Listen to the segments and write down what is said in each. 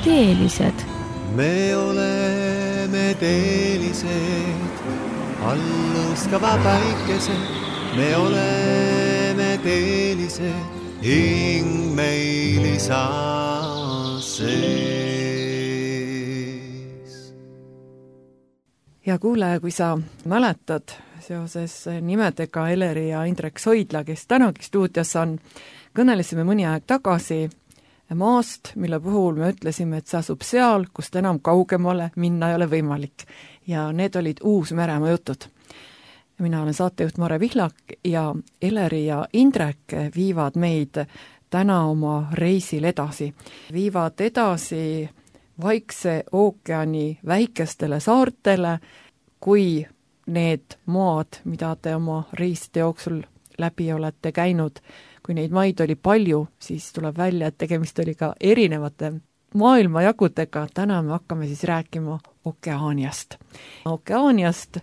teelised. Me oleme teelised, alluskava päikesed. Me oleme teelised, hing meil isa sees. Ja kuule, kui sa mäletad seoses nimedega Eleri ja Indrek Soidla, kes tänagi stuudios on, kõnelesime mõni aeg tagasi maast, mille puhul me ütlesime, et see asub seal, kust enam kaugemale minna ei ole võimalik. Ja need olid Uus-Meremaa jutud. Mina olen saatejuht Mare Vihlak ja Eleri ja Indrek viivad meid täna oma reisil edasi. Viivad edasi Vaikse ookeani väikestele saartele, kui need maad, mida te oma reiside jooksul läbi olete käinud, kui neid maid oli palju, siis tuleb välja, et tegemist oli ka erinevate maailmajagudega. Täna me hakkame siis rääkima Okeaaniast. Okeaaniast,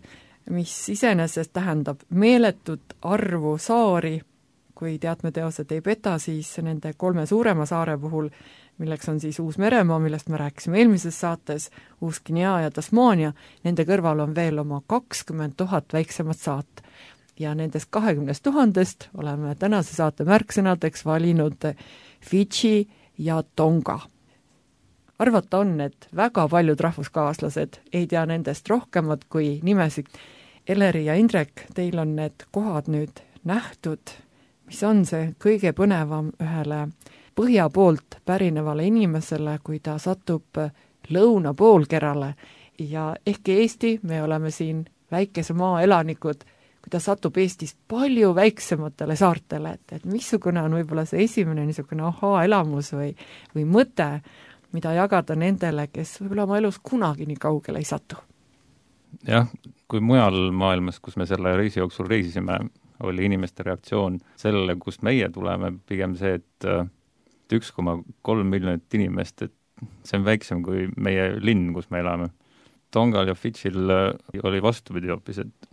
mis iseenesest tähendab meeletut arvu saari. Kui teadmeteosed ei peta, siis nende 3 suurema saare puhul, milleks on siis Uus-Meremaa, millest me rääkisime eelmises saates, Uus-Guinea ja Tasmania, nende kõrval on veel oma 20 000 väiksemat saat. Ja nendest 20 000 oleme tänase saate märksõnadeks valinud Fidži ja Tonga. Arvata on, et väga paljud rahvuskaaslased ei tea nendest rohkemat kui nimesid. Eleri ja Indrek, teil on need kohad nüüd nähtud. Mis on see kõige põnevam ühele põhja poolt pärinevale inimesele, kui ta satub lõuna poolkerale? Ja ehkki Eesti, me oleme siin väikese maa elanikud, kui ta satub Eestis palju väiksematele saartele, et missugune on võib-olla see esimene niisugune ahaa-elamus või mõte, mida jagada nendele, kes võib-olla oma elus kunagi nii kaugele ei satu? Jah, kui mujal maailmas, kus me selle reisi jooksul reisisime, oli inimeste reaktsioon sellele, kust meie tuleme, pigem see, et 1,3 miljonit inimest, et see on väiksem kui meie linn, kus me elame. Tongal ja Fidžil oli vastupidi hoopis, et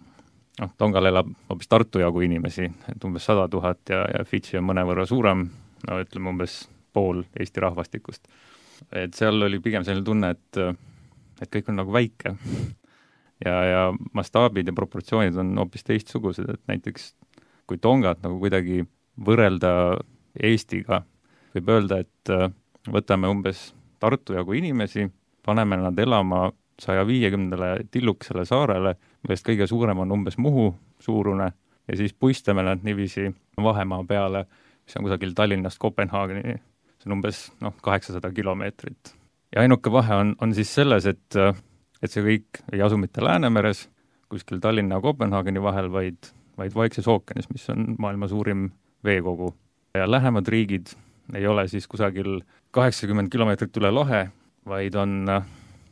Tongal elab hoopis Tartu jagu inimesi, et umbes 100 000 ja Fidži on mõnevõrra suurem, ütleme umbes pool Eesti rahvastikust. Et seal oli pigem selline tunne, et kõik on nagu väike ja mastaabid ja proportsioonid on hoopis teistsugused, et näiteks kui Tongat nagu kuidagi võrrelda Eestiga, võib öelda, et võtame umbes Tartu jagu inimesi, paneme nad elama 150 tillukesele saarele, millest kõige suurem on umbes Muhu suurune, ja siis puistame nad niiviisi vahemaa peale, mis on kusagil Tallinnast Kopenhaageni, see on umbes 800 kilomeetrit. Ja ainuke vahe on siis selles, et see kõik ei asu mitte Läänemeres, kuskil Tallinna ja Kopenhaageni vahel, vaid Vaikses ookeanis, mis on maailma suurim veekogu. Ja lähemad riigid ei ole siis kusagil 80 kilomeetrit üle lahe, vaid on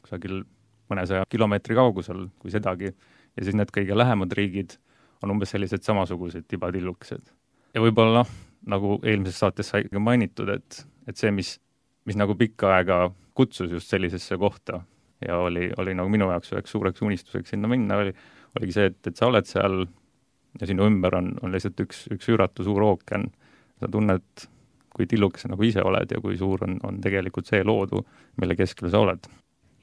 kusagil mõnesaja kilomeetri kaugusel kui sedagi. Ja siis need kõige lähemad riigid on umbes sellised samasugused tibatillukesed. Ja võib-olla nagu eelmises saates sai mainitud, et see, mis nagu pikka aega kutsus just sellisesse kohta ja oli nagu minu jaoks üheks suureks unistuseks sinna minna, oligi see, et sa oled seal ja sinu ümber on lihtsalt üks üüratu suur ookean. Sa tunned, kui tillukese nagu ise oled ja kui suur on tegelikult see loodu, mille keskel sa oled.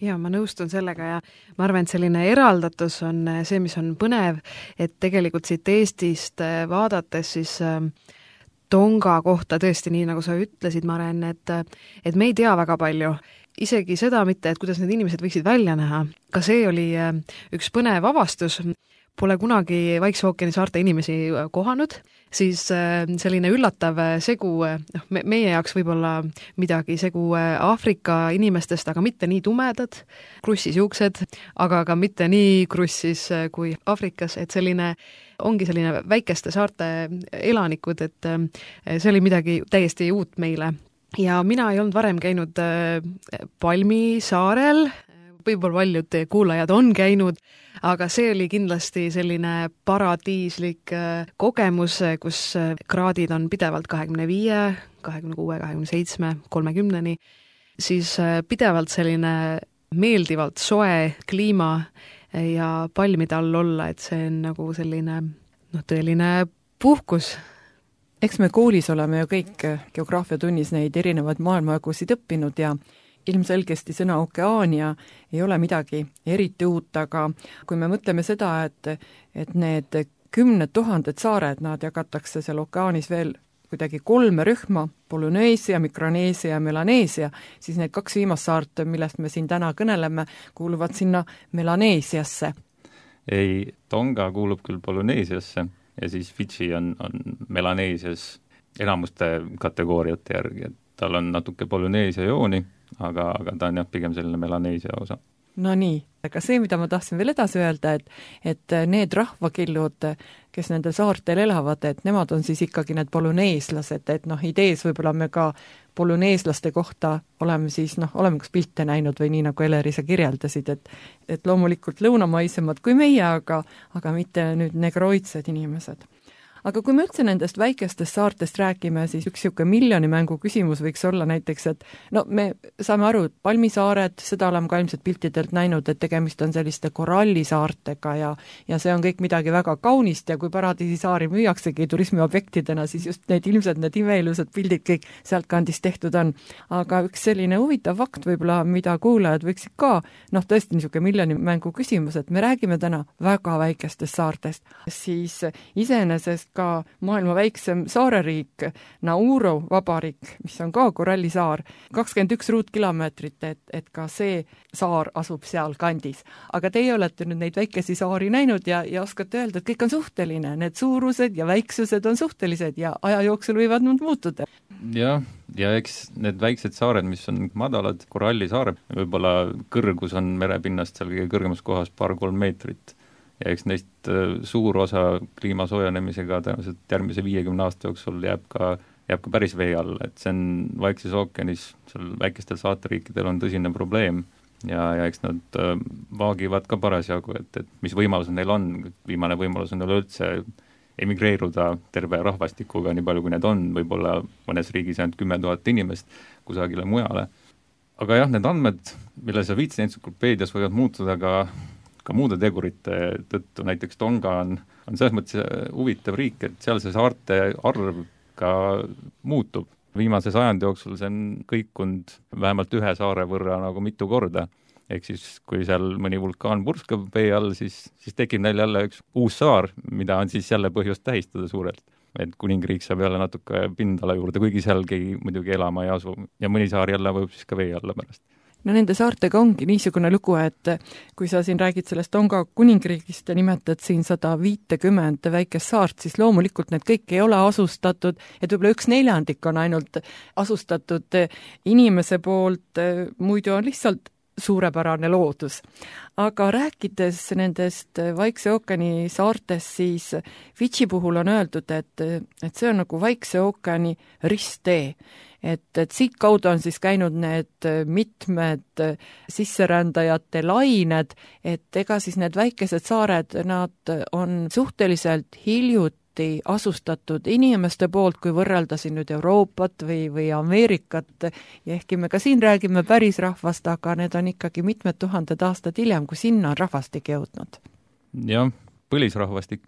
Ja ma nõustun sellega ja ma arvan, et selline eraldatus on see, mis on põnev, et tegelikult siit Eestist vaadates siis Tonga kohta tõesti nii, nagu sa ütlesid, Maren, et me ei tea väga palju. Isegi seda mitte, et kuidas need inimesed võiksid välja näha. Ka see oli üks põnev avastus. Pole kunagi Vaikse ookeani saarte inimesi kohanud, siis selline üllatav segu, meie jaoks võib-olla midagi segu Aafrika inimestest, aga mitte nii tumedad, krussis juuksed, aga ka mitte nii krussis kui Aafrikas, et ongi selline väikeste saarte elanikud, et see oli midagi täiesti uut meile. Ja mina ei olnud varem käinud Palmi saarel, võib-olla paljud kuulajad on käinud, aga see oli kindlasti selline paradiislik kogemus, kus kraadid on pidevalt 25, 26, 27, 30, siis pidevalt selline meeldivalt soe kliima ja palmide all olla, et see on nagu selline tõeline puhkus. Eks me koolis oleme ju kõik geograafiatunnis neid erinevaid maailmajagusid õppinud ja ilmselgesti sõna Okeaania ei ole midagi eriti uut, aga kui me mõtleme seda, et need 10 000 saared, nad jagatakse seal okeaanis veel kuidagi 3 rühma, Polüneesia, Mikroneesia ja Melaneesia, siis need 2 viimast saart, millest me siin täna kõneleme, kuuluvad sinna Melaneesiasse. Ei, Tonga kuulub küll Polüneesiasse ja siis Fidži on Melaneesias enamuste kategooriate järgi, et tal on natuke Polüneesia jooni, aga ta on jah, pigem selline Melaneesia osa. No nii, aga see, mida ma tahtsin veel edasi öelda, et need rahvakillud, kes nendel saartel elavad, et nemad on siis ikkagi need polüneeslased, et idees võib-olla me ka polüneeslaste kohta oleme kas pilte näinud või nii, nagu Eleri sa kirjeldasid, et loomulikult lõunamaisemad kui meie, aga mitte nüüd negroidsed inimesed. Aga kui me üldse nendest väikestest saartest räägime, siis üks niisugune miljonimängu küsimus võiks olla näiteks, et me saame aru, et palmisaared, seda oleme ka ilmselt piltidelt näinud, et tegemist on selliste korallisaartega ja see on kõik midagi väga kaunist ja kui paradiisisaari müüaksegi turismiobjektidena, siis just need imeilusad pildid kõik sealt kandist tehtud on. Aga üks selline huvitav fakt võib-olla, mida kuulajad võiksid ka, tõesti niisugune miljonimängu küsimus, et me räägime täna väga väikestest saartest, siis iseenesest ka maailma väiksem saareriik, Nauru vabariik, mis on ka korallisaar, 21 ruutkilomeetrit, et ka see saar asub seal kandis. Aga teie olete nüüd neid väikesi saari näinud ja oskate öelda, et kõik on suhteline, need suurused ja väiksused on suhtelised ja aja jooksul võivad nad muutuda. Ja eks need väiksed saared, mis on madalad, korallisaared, võib-olla kõrgus on merepinnast seal kõige kõrgemas kohas 2-3 meetrit. Ja eks neist suur osa kliima soojenemisega tõenäoliselt järgmise 50 aasta jooksul jääb ka päris vee all, et see on Vaikses ookeanis, seal väikestel saateriikidel on tõsine probleem ja eks nad vaagivad ka parasjagu, et mis võimalused neil on, viimane võimalus on neil üldse emigreeruda terve rahvastikuga, nii palju kui need on, võib-olla mõnes riigis ainult 10 000 inimest kusagile mujale. Aga jah, need andmed, mille sa viitsid entsüklopeedias, võivad muutuda ka muude tegurite tõttu, näiteks Tonga on selles mõttes huvitav riik, et seal see saarte arv ka muutub. Viimase sajandi jooksul see on kõikunud vähemalt 1 saare võrra nagu mitu korda. Ehk siis, kui seal mõni vulkaan purskab vee all, siis tekib neil jälle üks uus saar, mida on siis jälle põhjust tähistada suurelt. Et kuningriik saab jälle natuke pindala juurde, kuigi sealgi muidugi elama ei asu. Ja mõni saar jälle võib siis ka vee alla pärast. No nende saartega ongi niisugune lugu, et kui sa siin räägid sellest Tonga kuningriigist ja nimetad siin 150 väikest saart, siis loomulikult need kõik ei ole asustatud, et võib-olla 1/4 on ainult asustatud inimese poolt, muidu on lihtsalt suurepärane loodus. Aga rääkides nendest Vaikse ookeani saartest, siis Fidži puhul on öeldud, et see on nagu Vaikse ookeani risttee. Et siit kaudu on siis käinud need mitmed sisserändajate lained, et ega siis need väikesed saared, nad on suhteliselt hiljuti asustatud inimeste poolt, kui võrrelda siin nüüd Euroopat või Ameerikat, ja ehkki me ka siin räägime päris rahvast, aga need on ikkagi mitmed tuhanded aastad hiljem, kui sinna on rahvastik jõudnud. Jah, põlisrahvastik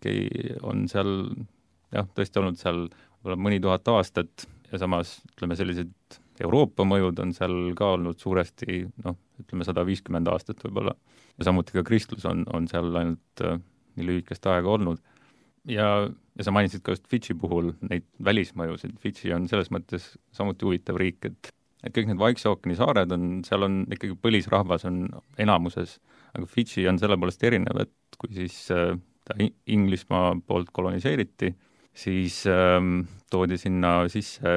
on seal tõesti olnud seal mõni tuhat aastat ja samas, sellised Euroopa mõjud on seal ka olnud suuresti, 150 aastat võib-olla. Ja samuti ka kristlus on seal ainult nii lühikest aega olnud. Ja sa mainisid ka just Fidži puhul neid välismõjusid. Fidži on selles mõttes samuti huvitav riik, et kõik need Vaikse ookeani saared seal on ikkagi põlisrahvas on enamuses, aga Fidži on selle poolest erinev, et kui siis ta Inglismaa poolt koloniseeriti, siis toodi sinna sisse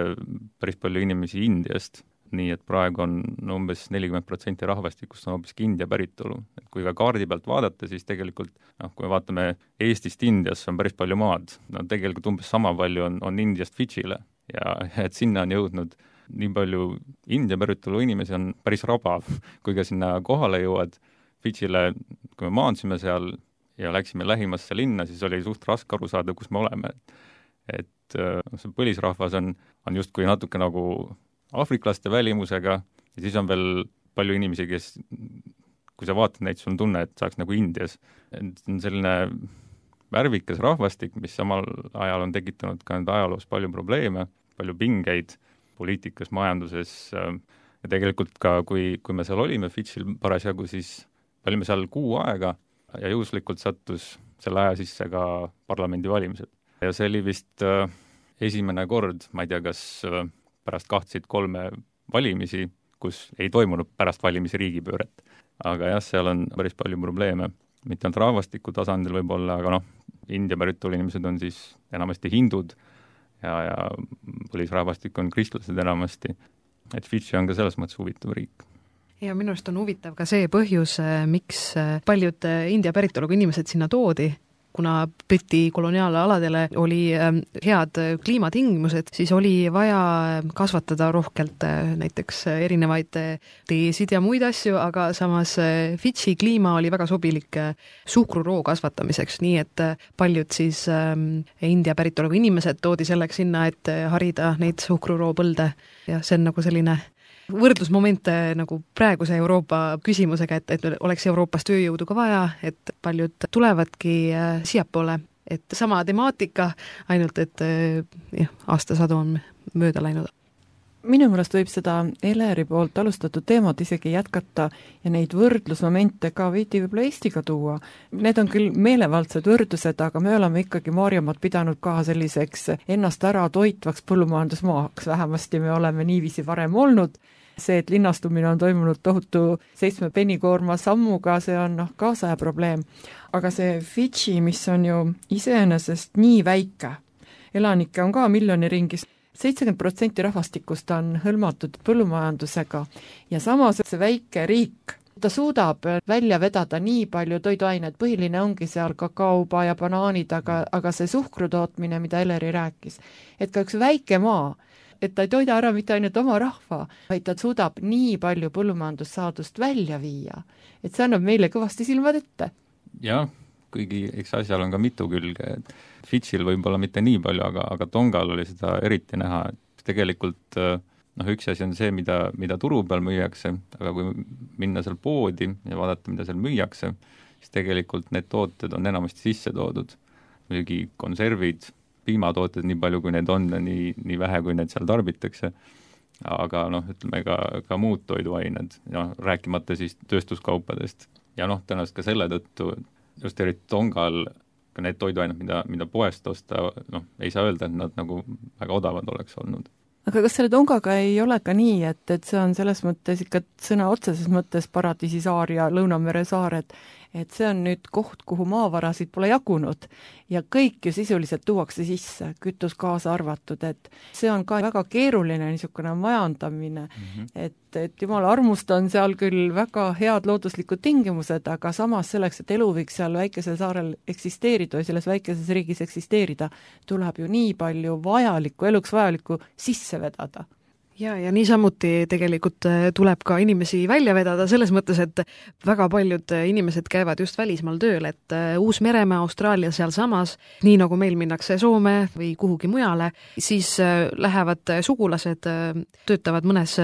päris palju inimesi Indiast, nii et praegu on umbes 40% rahvastikust on hoopiski India päritolu. Et kui ka kaardi pealt vaadata, siis tegelikult, kui me vaatame Eestist Indiasse, on päris palju maad. Tegelikult umbes sama palju on Indiast Fidžile ja et sinna on jõudnud nii palju India päritolu inimesi on päris rabav, kui ka sinna kohale jõuad Fidžile, kui me maandsime seal ja läksime lähimasse linna, siis oli suht raske aru saada, kus me oleme. Et see põlisrahvas on justkui natuke nagu aafriklaste välimusega ja siis on veel palju inimesi, kes, kui sa vaatad neid, sul on tunne, et saaks nagu Indias. Et on selline värvikas rahvastik, mis samal ajal on tekitanud ka ajaloos palju probleeme, palju pingeid poliitikas, majanduses, ja tegelikult ka, kui me seal olime Fidžil parasjagu, siis olime seal kuu aega ja juhuslikult sattus selle aja sisse ka parlamendivalimised. Ja see oli vist esimene kord, ma ei tea, kas pärast 2-3 valimisi, kus ei toimunud pärast valimisi riigipööret. Aga jah, seal on päris palju probleeme. Mitte ainult rahvastiku tasandil võib-olla, aga India päritolu inimesed on siis enamasti hindud ja põlisrahvastik on kristlased enamasti. Et Fidži on ka selles mõttes huvitav riik. Ja minu arust on huvitav ka see põhjus, miks paljud India päritoluga inimesed sinna toodi, kuna Briti koloniaalaladele oli head kliimatingimused, siis oli vaja kasvatada rohkelt näiteks erinevaid teesid ja muid asju, aga samas Fidži kliima oli väga sobilik suhkruroo kasvatamiseks, nii et paljud siis India päritoluga inimesed toodi selleks sinna, et harida neid suhkruroo põlde ja see on nagu selline võrdlusmomente nagu praeguse Euroopa küsimusega, et oleks Euroopas tööjõudu ka vaja, et paljud tulevadki siiapoole, et sama temaatika, ainult et aastasadu on mööda läinud. Minu meelest võib seda Eleri poolt alustatud teemat isegi jätkata ja neid võrdlusmomente ka veidi võib-olla Eestiga tuua. Need on küll meelevaldsed võrdlused, aga me oleme ikkagi Maarjamaad pidanud ka selliseks ennast ära toitvaks põllumajandusmaaks, vähemasti me oleme niiviisi varem olnud. See, et linnastumine on toimunud tohutu 7 pennikoorma sammuga, see on kaasaja probleem. Aga see Fidži, mis on ju iseenesest nii väike, elanikke on ka miljoni ringis, 70% rahvastikust on hõlmatud põllumajandusega ja samas see väike riik, ta suudab välja vedada nii palju toiduaineid, põhiline ongi seal kakaoba ja banaanid, aga see suhkrutootmine, mida Eleri rääkis, et ka üks väike maa, et ta ei toida ära mitte ainult oma rahva, vaid ta suudab nii palju põllumajandussaadust välja viia. Et see annab meile kõvasti silmad ette. Jah, kuigi eks asjal on ka mitu külge. Fidžil võib-olla mitte nii palju, aga Tongal oli seda eriti näha. Et tegelikult üks asi on see, mida turu peal müüakse, aga kui minna seal poodi ja vaadata, mida seal müüakse, siis tegelikult need tooted on enamasti sisse toodud. Muidugi konservid, piimatooted nii palju, kui need on, nii vähe, kui need seal tarbitakse, aga ütleme ka muud toiduained, rääkimata siis tööstuskaupadest. Ja tõenäoliselt ka selle tõttu, just eriti Tongal, ka need toiduained, mida poest osta, ei saa öelda, et nad nagu väga odavad oleks olnud. Aga kas selle Tongaga ei ole ka nii, et see on selles mõttes ikka sõna otseses mõttes paradiisisaar ja Lõunamere saared, et see on nüüd koht, kuhu maavarasid pole jagunud ja kõik ju sisuliselt tuuakse sisse, kütus kaasa arvatud, et see on ka väga keeruline niisugune majandamine, et jumala armust on seal küll väga head looduslikud tingimused, aga samas selleks, et elu võiks seal väikesel saarel eksisteerida või selles väikeses riigis eksisteerida, tuleb ju nii palju eluks vajalikku sisse vedada. Ja niisamuti tegelikult tuleb ka inimesi välja vedada selles mõttes, et väga paljud inimesed käivad just välismaal tööl, et Uus-Meremaa, Austraalia seal samas, nii nagu meil minnakse Soome või kuhugi mujale, siis lähevad sugulased, töötavad mõnes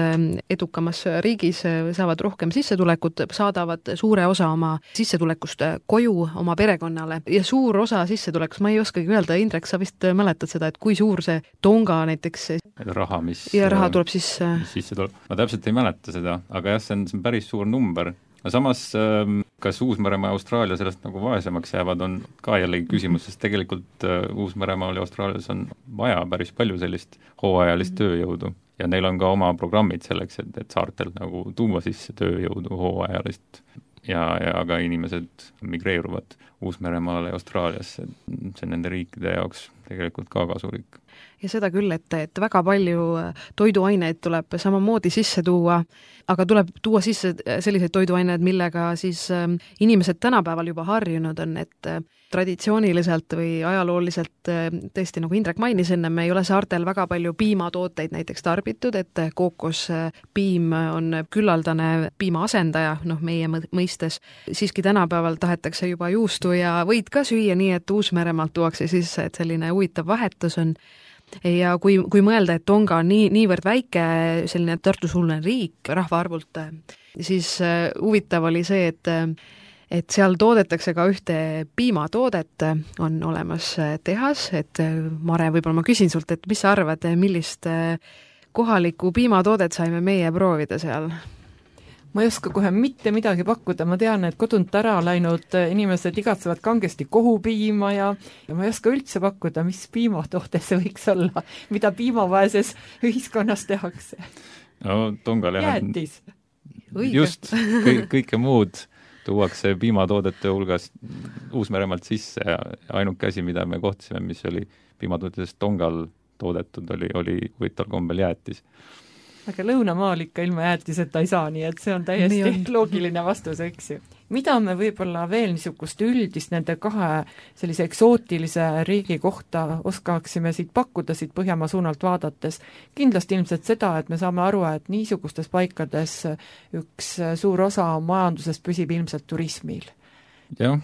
edukamas riigis, saavad rohkem sissetulekut, saadavad suure osa oma sissetulekust koju oma perekonnale ja suur osa sissetulekust, ma ei oskagi öelda, Indrek, sa vist mäletad seda, et kui suur see Tonga näiteks raha, raha tuleb sisse tuleb. Ma täpselt ei mäleta seda, aga jah, see on päris suur number. Samas, kas Uus-Meremaa ja Austraalia sellest nagu vaesemaks jäävad, on ka jällegi küsimus, sest tegelikult Uus-Meremaal ja Austraalias on vaja päris palju sellist hooajalist tööjõudu ja neil on ka oma programmid selleks, et saartelt nagu tuua sisse tööjõudu hooajalist ja ka inimesed migreeruvad Uus-Meremaale ja Austraaliasse. See nende riikide jaoks tegelikult ka kasulik. Ja seda küll, et väga palju toiduaineid tuleb samamoodi sisse tuua, aga tuleb tuua sisse selliseid toiduaineid, millega siis inimesed tänapäeval juba harjunud on, et traditsiooniliselt või ajalooliselt tõesti, nagu Indrek mainis enne, me ei ole saartel väga palju piimatooteid näiteks tarbitud, et kookospiim on küllaldane piima asendaja, meie mõistes. Siiski tänapäeval tahetakse juba juustu ja võid ka süüa nii, et Uus-Meremaalt tuuakse sisse, et selline huvitav vahetus on. Ja kui mõelda, et Tonga on niivõrd väike, selline Tartu-suuline riik rahvaarvult, siis huvitav oli see, et seal toodetakse ka ühte piimatoodet, on olemas tehas, et Mare, võib-olla ma küsin sult, et mis sa arvad, millist kohalikku piimatoodet saime meie proovida seal? Ma ei oska kohe mitte midagi pakkuda, ma tean, et kodunt ära läinud inimesed igatsevad kangesti kohupiima ja ma ei oska üldse pakkuda, mis piimatoode see võiks olla, mida piimavaeses ühiskonnas tehakse. No Tongal jäätis. Just, kõike muud tuuakse piimatoodete hulgas Uus-Meremaalt sisse ja ainuke asi, mida me kohtasime, mis oli piimatoodetest Tongal toodetud, oli huvitaval kombel jäätis. Aga lõunamaal ikka ilma jäätiseta ei saa, nii et see on täiesti loogiline vastus, eks ju. Mida me võib-olla veel niisugust üldist nende kahe sellise eksootilise riigi kohta oskaksime siit pakkuda, siit Põhjamaa suunalt vaadates? Kindlasti ilmselt seda, et me saame aru, et niisugustes paikades üks suur osa majandusest püsib ilmselt turismil. Jah,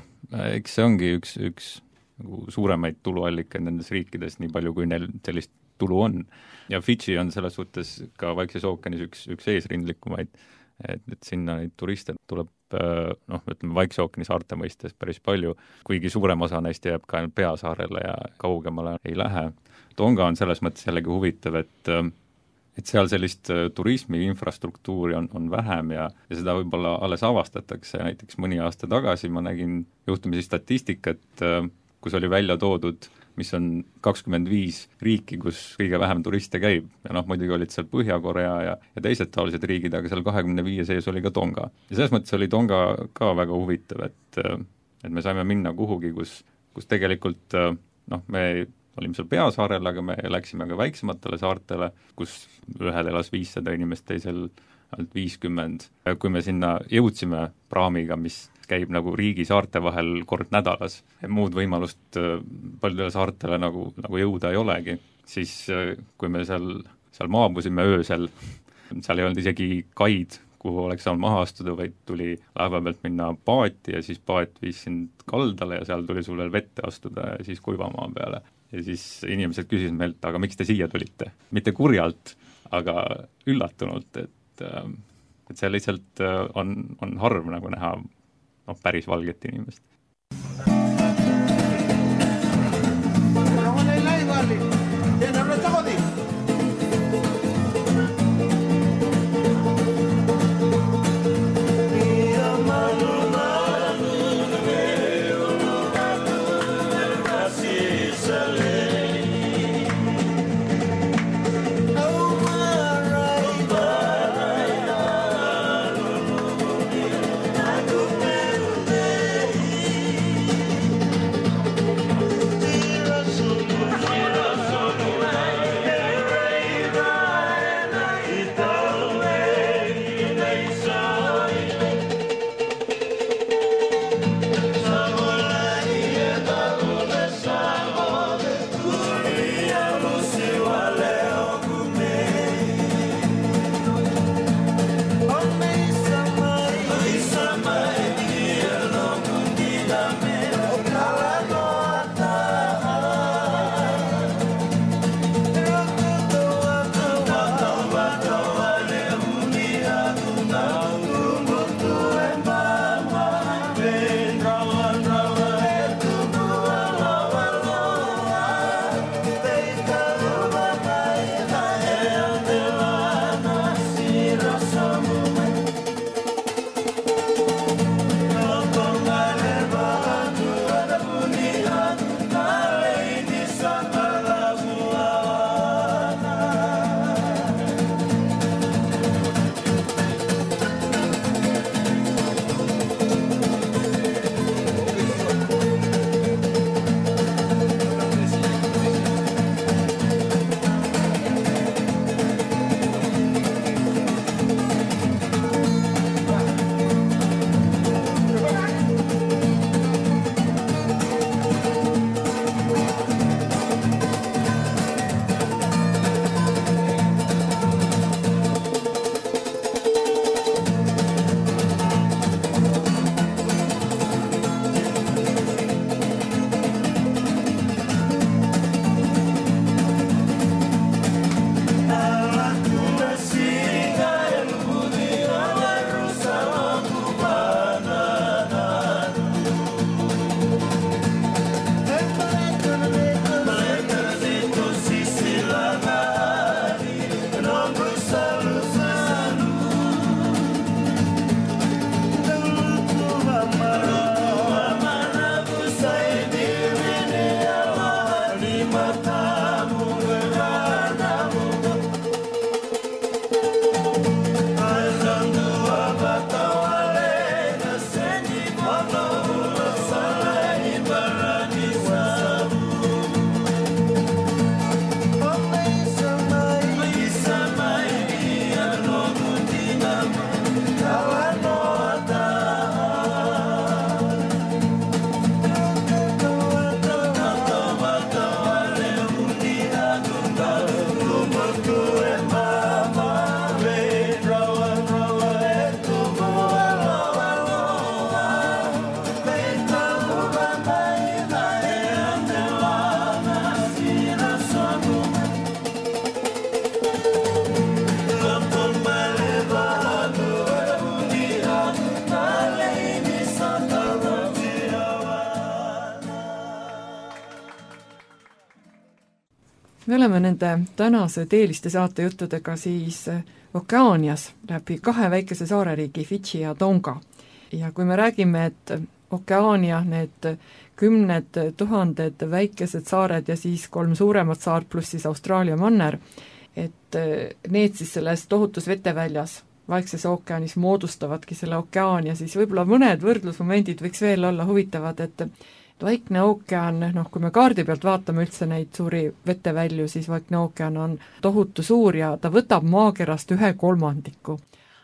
eks see ongi üks nagu suuremaid tuluallikaid nendes riikides, nii palju kui neil sellist tulu on. Ja Fidži on selles suhtes ka Vaikses ookeanis üks eesrindlikumaid, et sinna neid turiste tuleb ütleme Vaikse ookeani saarte mõistes päris palju, kuigi suurem osa neist jääb ka Peasaarele ja kaugemale ei lähe. Tonga on selles mõttes jällegi huvitav, et seal sellist turismi infrastruktuuri on vähem ja seda võib-olla alles avastatakse. Näiteks mõni aasta tagasi ma nägin juhtumisi statistikat, kus oli välja toodud, mis on 25 riiki, kus kõige vähem turiste käib. Ja muidugi olid seal Põhja-Korea ja teised taolised riigid, aga seal 25 sees oli ka Tonga. Ja selles mõttes oli Tonga ka väga huvitav, et me saime minna kuhugi, kus tegelikult me olime seal Peasaarel, aga me läksime ka väiksematele saartele, kus ühel elas 500 inimest, teisel ainult 50. Kui me sinna jõudsime praamiga, mis käib nagu riigi saarte vahel kord nädalas, muud võimalust paljudele saartele nagu jõuda ei olegi, siis kui me seal maabusime öösel, seal ei olnud isegi kaid, kuhu oleks saanud maha astuda, vaid tuli laeva pealt minna paati ja siis paat viis sind kaldale ja seal tuli sul veel vette astuda ja siis kuivamaa peale. Ja siis inimesed küsisid meilt, aga miks te siia tulite? Mitte kurjalt, aga üllatunult, et see lihtsalt on harv nagu näha päris valget inimest. oleme nende tänase teeliste saatejuttudega siis Okeaanias läbi 2 väikese saareriigi Fidži ja Tonga. Ja kui me räägime, et Okeaania, need 10 000 väikesed saared ja siis 3 suuremat saart pluss siis Austraalia manner, et need siis selles tohutus veteväljas Vaikses ookeanis moodustavadki selle okeaania, siis võib-olla mõned võrdlusmomendid võiks veel olla huvitavad, et Vaikne ookean, kui me kaardi pealt vaatame üldse neid suuri vetevälju, siis Vaikne ookean on tohutu suur ja ta võtab maakerast 1/3.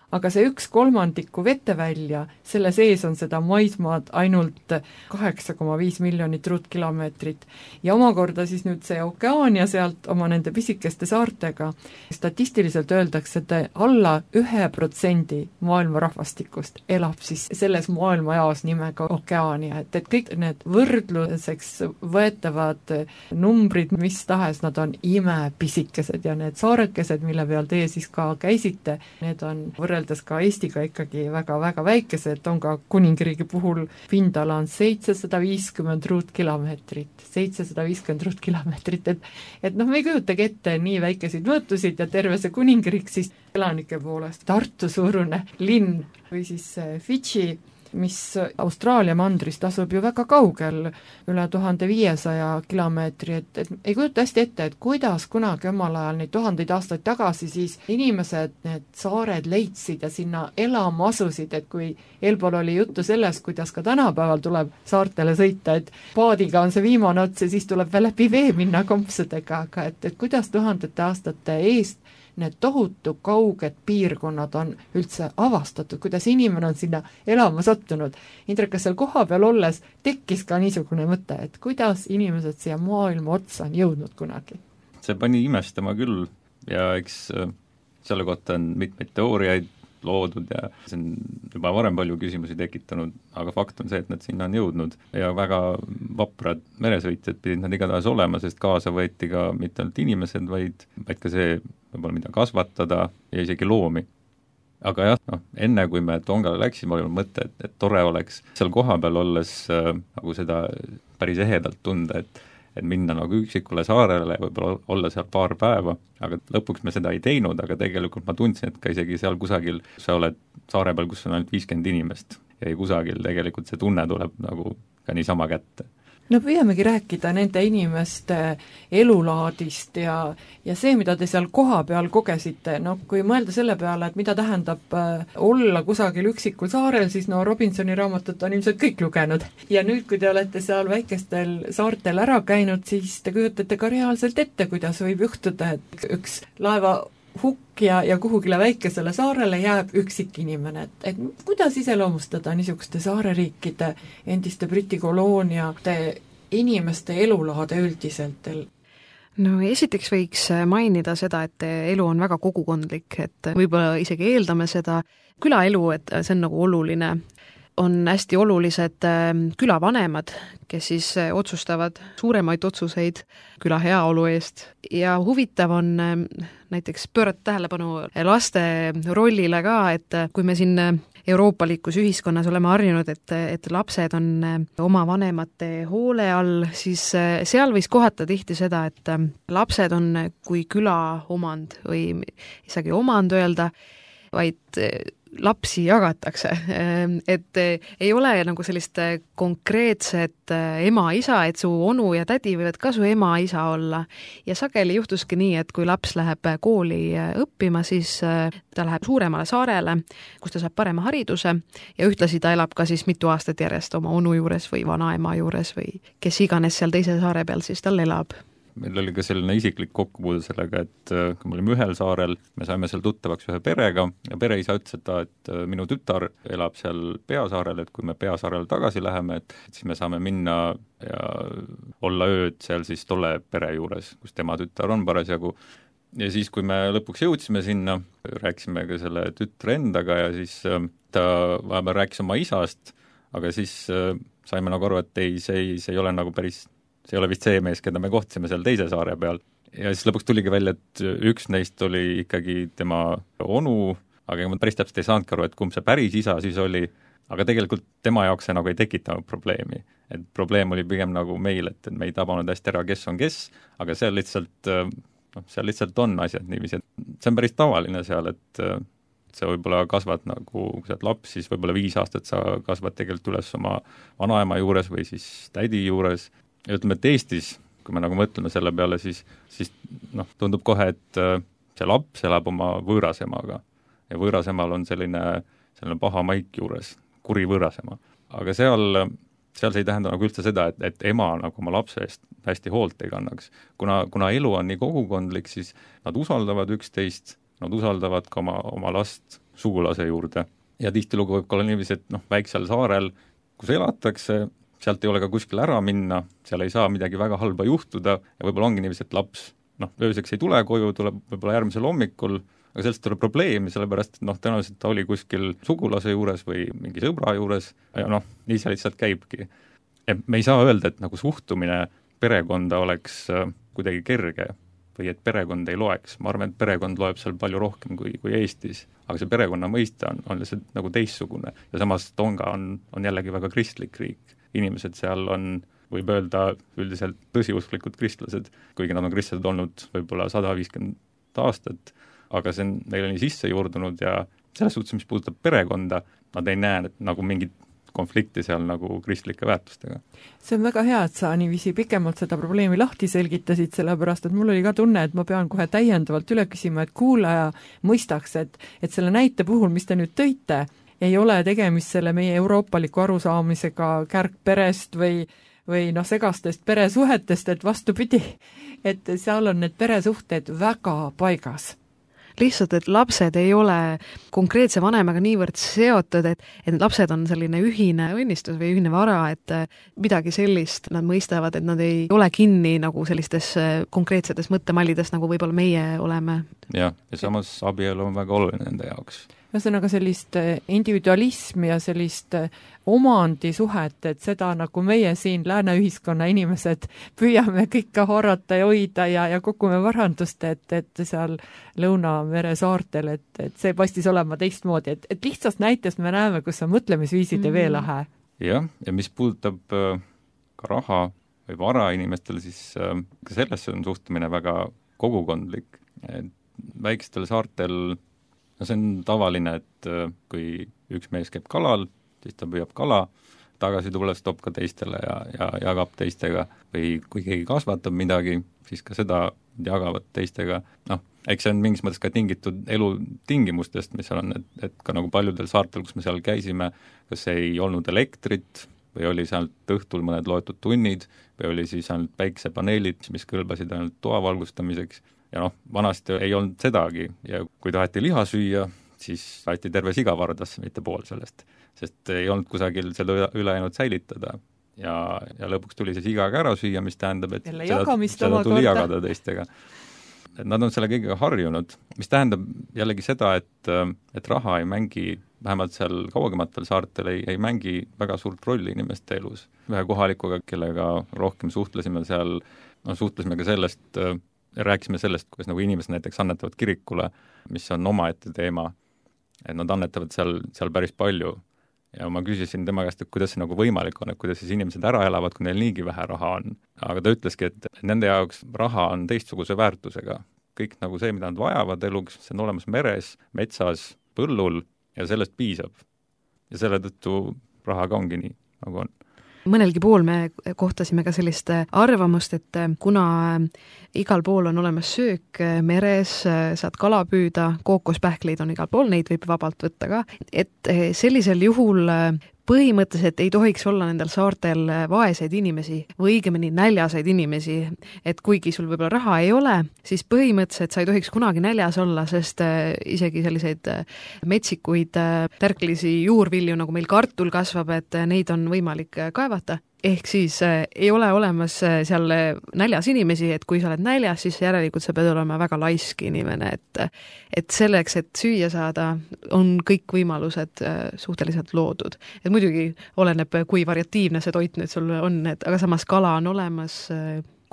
Aga see 1/3 vetevälja, selle sees on seda maismaad ainult 8,5 miljonit ruutkilomeetrit. Ja omakorda siis nüüd see okeaania sealt oma nende pisikeste saartega, statistiliselt öeldakse, et alla 1% maailma rahvastikust elab siis selles maailmajaos nimega okeaania, et kõik need võrdluseks võetavad numbrid, mis tahes, nad on imepisikesed ja need saarekesed, mille peal teie siis ka käisite, need on võrreldes ka Eestiga ikkagi väga-väga väikesed, Tonga kuningriigi puhul pindala on 750 ruutkilomeetrit, 750 ruutkilomeetrit, et me ei kujutagi ette nii väikeseid mõõtusid ja terve see kuningriik siis elanike poolest Tartu suurune linn või siis Fidži, mis Austraalia mandrist asub ju väga kaugel, üle 1500 kilomeetri, et ei kujuta hästi ette, et kuidas kunagi omal ajal neid 1000 aastaid tagasi siis inimesed need saared leidsid ja sinna elama asusid, et kui eelpool oli juttu sellest, kuidas ka tänapäeval tuleb saartele sõita, et paadiga on see viimane ots ja siis tuleb veel läbi vee minna kompsudega, aga et kuidas 1000 aastate eest need tohutu kauged piirkonnad on üldse avastatud, kuidas inimene on sinna elama sattunud. Indrek, kas seal koha peal olles tekkis ka niisugune mõte, et kuidas inimesed siia maailma otsa on jõudnud kunagi? See pani imestama küll ja eks selle kohta on mitmeid teooriaid loodud ja see on juba varem palju küsimusi tekitanud, aga fakt on see, et nad sinna on jõudnud ja väga vaprad meresõitjad pidid nad igatahes olema, sest kaasa võeti ka mitte ainult inimesed, vaid ka see võib-olla mida kasvatada ja isegi loomi. Aga jah, enne kui me Tongale läksime, oli mõte, et tore oleks seal koha peal olles nagu seda päris ehedalt tunda, et minna nagu üksikule saarele, võib-olla olla seal paar päeva, aga lõpuks me seda ei teinud, aga tegelikult ma tundsin, et ka isegi seal kusagil, sa oled saare peal, kus on ainult 50 inimest ja ei kusagil, tegelikult see tunne tuleb nagu ka niisama kätte. No püüamegi rääkida nende inimeste elulaadist ja see, mida te seal koha peal kogesite, kui mõelda selle peale, et mida tähendab olla kusagil üksikul saarel, siis Robinsoni raamatut on ilmselt kõik lugenud. Ja nüüd, kui te olete seal väikestel saartel ära käinud, siis te kujutate ka reaalselt ette, kuidas võib juhtuda, et üks laeva hukk ja kuhugile väikesele saarele jääb üksik inimene. Et kuidas iseloomustada niisuguste saareriikide, endiste Briti kolooniate inimeste elulaade üldiselt? No esiteks võiks mainida seda, et elu on väga kogukondlik, et võib-olla isegi eeldame seda külaelu, et see on nagu oluline. On hästi olulised külavanemad, kes siis otsustavad suuremaid otsuseid küla heaolu eest. Ja huvitav on näiteks pöörata tähelepanu laste rollile ka, et kui me siin euroopalikus ühiskonnas oleme harjunud, et lapsed on oma vanemate hoole all, siis seal võis kohata tihti seda, et lapsed on kui küla omand või isegi omand öelda, vaid lapsi jagatakse, et ei ole nagu sellist konkreetset ema-isa, et su onu ja tädi võivad ka su ema-isa olla ja sageli juhtuski nii, et kui laps läheb kooli õppima, siis ta läheb suuremale saarele, kus ta saab parema hariduse ja ühtlasi ta elab ka siis mitu aastat järjest oma onu juures või vanaema juures või kes iganes seal teise saare peal siis tal elab. Meil oli ka selline isiklik kokkupuude sellega, et kui me olime ühel saarel, me saime seal tuttavaks ühe perega ja pereisa ütles, et minu tütar elab seal peasaarel, et kui me peasaarele tagasi läheme, et siis me saame minna ja olla ööd seal siis tolle pere juures, kus tema tütar on parasjagu. Ja siis, kui me lõpuks jõudsime sinna, rääkisime ka selle tütre endaga ja siis ta vahepeal rääkis oma isast, aga siis saime nagu aru, et ei, see ei ole nagu päris see ei ole vist see mees, keda me kohtasime seal teise saare peal. Ja siis lõpuks tuligi välja, et üks neist oli ikkagi tema onu, aga ma päris täpselt ei saanudki aru, et kumb see päris isa siis oli, aga tegelikult tema jaoks see nagu ei tekitanud probleemi. Et probleem oli pigem nagu meil, et me ei tabanud hästi ära, kes on kes, aga seal lihtsalt on asjad niiviisi, et see on päris tavaline seal, et sa võib-olla kasvad nagu, kui sa oled laps, siis võib-olla 5 aastat sa kasvad tegelikult üles oma vanaema juures või siis tädi juures. Ja ütleme, et Eestis, kui me nagu mõtleme selle peale, siis tundub kohe, et see laps elab oma võõrasemaga ja võõrasemal on selline paha maik juures, kuri võõrasema. Aga seal see ei tähenda nagu üldse seda, et ema nagu oma lapse eest hästi hoolt ei kannaks. Kuna elu on nii kogukondlik, siis nad usaldavad üksteist, nad usaldavad ka oma last sugulase juurde. Ja tihtilugu võib olla niiviisi, et väiksel saarel, kus elatakse, sealt ei ole ka kuskil ära minna, seal ei saa midagi väga halba juhtuda ja võib-olla ongi niiviisi, et laps ööseks ei tule koju, tuleb võib-olla järgmisel hommikul, aga sellest tuleb probleemi, sellepärast, et tõenäoliselt ta oli kuskil sugulase juures või mingi sõbra juures ja nii see lihtsalt käibki. Ja me ei saa öelda, et nagu suhtumine perekonda oleks kuidagi kerge või et perekond ei loeks. Ma arvan, et perekond loeb seal palju rohkem kui Eestis, aga see perekonna mõiste on lihtsalt nagu teistsugune ja samas Tonga on jällegi väga kristlik riik. Inimesed seal on, võib öelda, üldiselt tõsiusklikud kristlased, kuigi nad on kristlased olnud võib-olla 150 aastat, aga see on neile nii sisse juurdunud ja selles suhtes, mis puudutab perekonda, nad ei näe nagu mingit konflikti seal nagu kristlike väärtustega. See on väga hea, et sa niiviisi pikemalt seda probleemi lahti selgitasid, sellepärast, et mul oli ka tunne, et ma pean kohe täiendavalt üle küsima, et kuulaja mõistaks, et selle näite puhul, mis te nüüd tõite, ei ole tegemist selle meie euroopaliku arusaamisega kärgperest või segastest peresuhetest, et vastupidi, et seal on need peresuhted väga paigas. Lihtsalt, et lapsed ei ole konkreetse vanemaga niivõrd seotud, et need lapsed on selline ühine õnnistus või ühine vara, et midagi sellist nad mõistavad, et nad ei ole kinni nagu sellistes konkreetsetes mõttemallides, nagu võib-olla meie oleme. Ja samas abielu on väga oluline nende jaoks. Ühesõnaga sellist individualismi ja sellist omandisuhet, et seda nagu meie siin lääne ühiskonna inimesed püüame kõike haarata ja hoida ja kogume varandust, et seal Lõunamere saartel, et see paistis olema teistmoodi, et lihtsast näitest me näeme, kus on mõtlemisviisid ja veelahe. Ja mis puudutab ka raha või vara inimestel, siis ka sellesse on suhtumine väga kogukondlik. Väikestel saartel see on tavaline, et kui üks mees käib kalal, siis ta püüab kala, tagasi tulles toob ka teistele ja jagab teistega või kui keegi kasvatab midagi, siis ka seda jagavad teistega. Eks see on mingis mõttes ka tingitud elutingimustest, mis on, et ka nagu paljudel saartel, kus me seal käisime, kas ei olnud elektrit või oli sealt õhtul mõned loetud tunnid või oli siis ainult päiksepaneelid, mis kõlbasid ainult toa valgustamiseks. Ja vanasti ei olnud sedagi ja kui taheti liha süüa, siis aeti terve siga vardasse, mitte pool sellest, sest ei olnud kusagil seda ülejäänud säilitada ja lõpuks tuli see siga ära süüa, mis tähendab, et seda tuli jagada teistega. Et nad on selle kõigega harjunud, mis tähendab jällegi seda, et raha ei mängi, vähemalt seal kaugematel saartel ei mängi väga suurt rolli inimeste elus. Ühe kohalikuga, kellega rohkem suhtlesime seal, suhtlesime ka sellest, rääkisime sellest, kuidas nagu inimesed näiteks annetavad kirikule, mis on omaette teema, et nad annetavad seal päris palju. Ja ma küsisin tema käest, et kuidas see nagu võimalik on, et kuidas siis inimesed ära elavad, kui neil niigi vähe raha on. Aga ta ütleski, et nende jaoks raha on teistsuguse väärtusega. Kõik nagu see, mida nad vajavad eluks, see on olemas meres, metsas, põllul ja sellest piisab. Ja selle tõttu rahaga ongi nii, nagu on. Mõnelgi pool me kohtasime ka sellist arvamust, et kuna igal pool on olemas söök meres, saad kala püüda, kookospähkleid on igal pool, neid võib vabalt võtta ka, et sellisel juhul põhimõtteliselt ei tohiks olla nendel saartel vaeseid inimesi või õigemini näljaseid inimesi, et kuigi sul võib-olla raha ei ole, siis põhimõtteliselt sa ei tohiks kunagi näljas olla, sest isegi selliseid metsikuid tärklisi juurvilju, nagu meil kartul kasvab, et neid on võimalik kaevata. Ehk siis ei ole olemas seal näljas inimesi, et kui sa oled näljas, siis järelikult sa pead olema väga laisk inimene, et selleks, et süüa saada, on kõik võimalused suhteliselt loodud. Et muidugi oleneb, kui variatiivne see toit nüüd sul on, aga samas kala on olemas,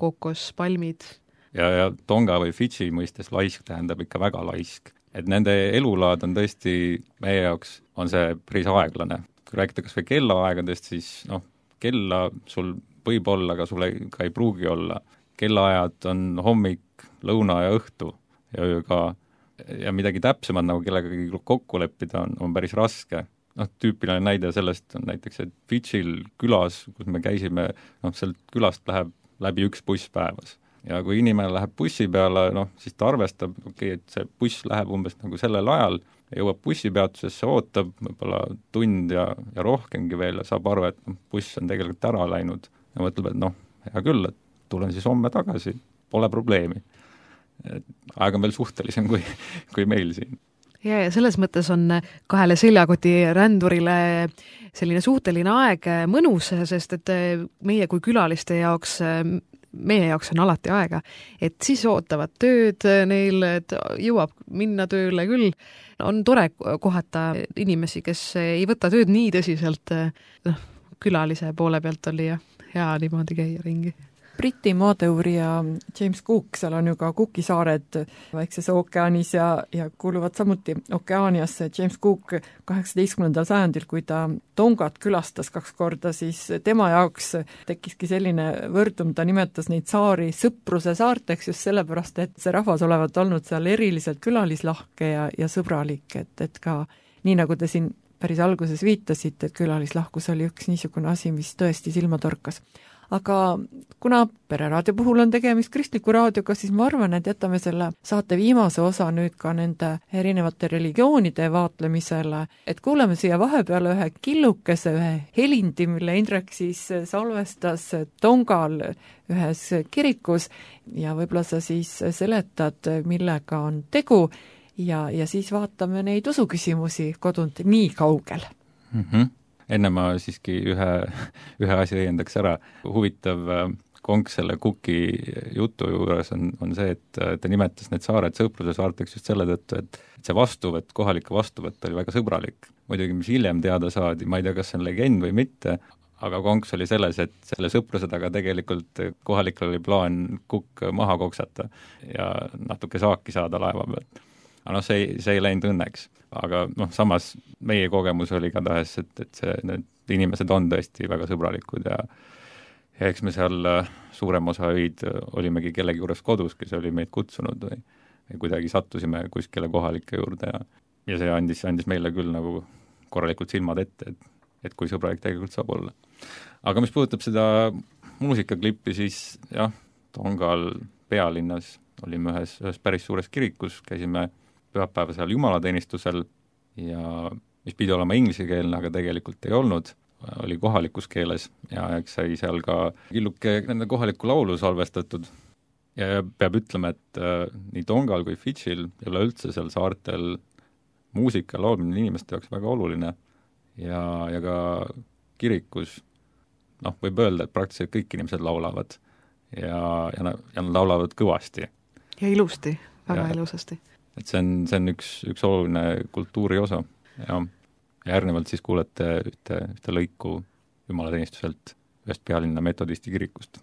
kookos, palmid. Ja Tonga või Fidži mõistes laisk tähendab ikka väga laisk. Et nende elulaad on tõesti, meie jaoks on see päris aeglane. kui rääkida kas või kellaaegadest, siis kella sul võib olla, aga sul ka ei pruugi olla. Kellaajad on hommik, lõuna ja õhtu ja öö ka. Ja midagi täpsemad nagu kellegagi kokku leppida on päris raske. Tüüpiline näide sellest on näiteks, et Fidžil külas, kus me käisime, sealt külast läheb läbi üks buss päevas. Ja kui inimene läheb bussi peale, siis ta arvestab, et see buss läheb umbes nagu sellel ajal, jõuab bussipeatusesse, ootab võib-olla tund ja rohkemgi veel ja saab aru, et buss on tegelikult ära läinud ja mõtleb, et hea küll, et tulen siis homme tagasi, pole probleemi. Aeg on veel suhtelisem kui meil siin. Ja selles mõttes on kahele seljakoti rändurile selline suhteline aeg mõnus, sest et meie kui külaliste jaoks, meie jaoks on alati aega, et siis ootavad tööd neil, et jõuab minna tööle küll. On tore kohata inimesi, kes ei võta tööd nii tõsiselt, külalise poole pealt oli ja hea niimoodi käia ringi. Briti maadeurija James Cook, seal on ju ka Cooki saared väikses ookeanis ja kuuluvad samuti Okeaaniasse. James Cook 18. sajandil, kui ta Tongat külastas 2 korda, siis tema jaoks tekkiski selline võrdum, ta nimetas neid saari sõpruse saarteks just sellepärast, et see rahvas olevat olnud seal eriliselt külalislahke ja sõbralik, et ka nii nagu te siin päris alguses viitasite, et külalislahkus oli üks niisugune asi, mis tõesti silma torkas. Aga kuna Pereraadio puhul on tegemist kristliku raadioga, siis ma arvan, et jätame selle saate viimase osa nüüd ka nende erinevate religioonide vaatlemisele, et kuuleme siia vahepeale ühe killukese, ühe helindi, mille Indrek siis salvestas Tongal ühes kirikus ja võib-olla sa siis seletad, millega on tegu ja siis vaatame neid usuküsimusi kodunt nii kaugel. Enne ma siiski ühe asja õiendaks ära. Huvitav konks selle Cooki jutu juures on see, et ta nimetas need saared sõpruse saarteks just selle tõttu, et see vastuvõtt, kohalike vastuvõtt oli väga sõbralik. Muidugi, mis hiljem teada saadi, ma ei tea, kas see on legend või mitte, aga konks oli selles, et selle sõpruse taga tegelikult kohalikel oli plaan Cook maha koksata ja natuke saaki saada laeva pealt. Aga see ei läinud õnneks. Aga samas meie kogemus oli ka tahes, et need inimesed on tõesti väga sõbralikud ja eks me seal suurem osa öid olimegi kellegi juures kodus, kes oli meid kutsunud või kuidagi sattusime kuskile kohalike juurde ja see andis meile küll nagu korralikult silmad ette, et kui sõbralik tegelikult saab olla. Aga mis puudutab seda muusikaklippi, siis jah, Tongal pealinnas olime ühes päris suures kirikus, käisime pühapäeva seal jumalateenistusel ja mis pidi olema inglisekeelne, aga tegelikult ei olnud, oli kohalikus keeles ja eks sai seal ka killuke nende kohaliku laulu salvestatud. Ja peab ütlema, et nii Tongal kui Fidžil ei ole üldse seal saartel muusika laulmine inimeste jaoks väga oluline ja ka kirikus võib öelda, et praktiliselt kõik inimesed laulavad ja nad laulavad kõvasti. Ja ilusti, väga ilusasti. Et see on üks oluline kultuuri osa ja järgnevalt siis kuulete ühte lõiku jumalateenistuselt ühest pealinna metodisti kirikust.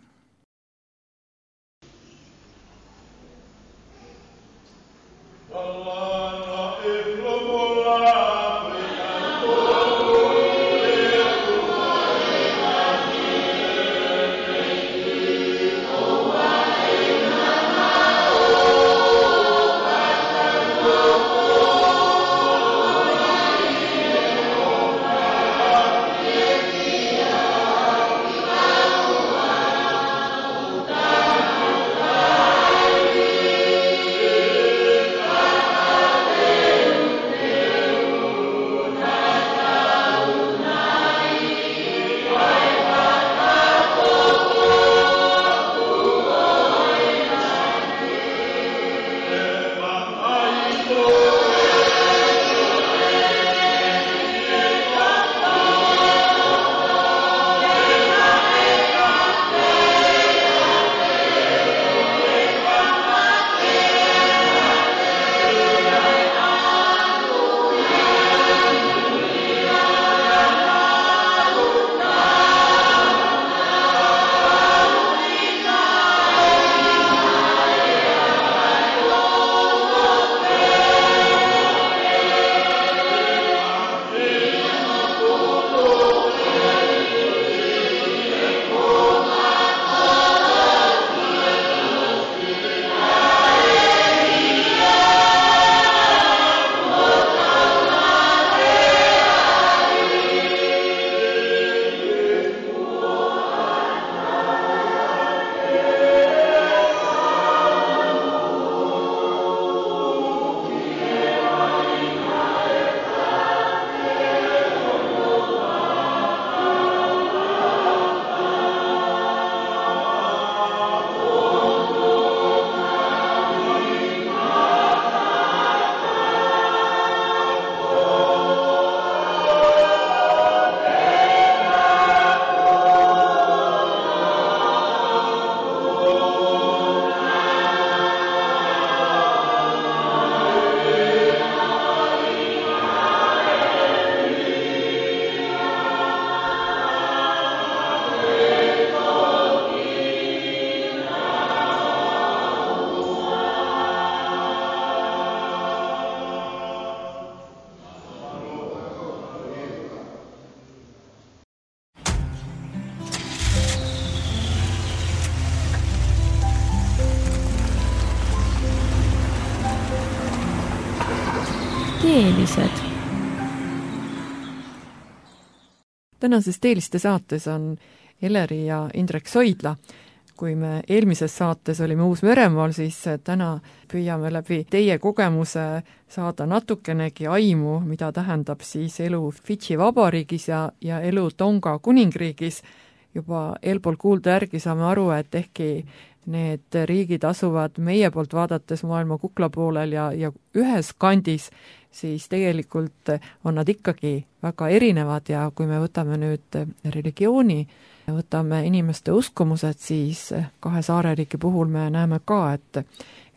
Teelised. Tänases Teeliste saates on Eleri ja Indrek Soidla. Kui me eelmises saates olime Uus-Meremaal, siis täna püüame läbi teie kogemuse saada natukenegi aimu, mida tähendab siis elu Fidži vabariigis ja elu Tonga kuningriigis. Juba eelpool kuulda järgi saame aru, et ehkki need riigid asuvad meie poolt vaadates maailma kukla poolel ja ühes kandis, siis tegelikult on nad ikkagi väga erinevad ja kui me võtame nüüd religiooni, võtame inimeste uskumused, siis kahe saareriigi puhul me näeme ka,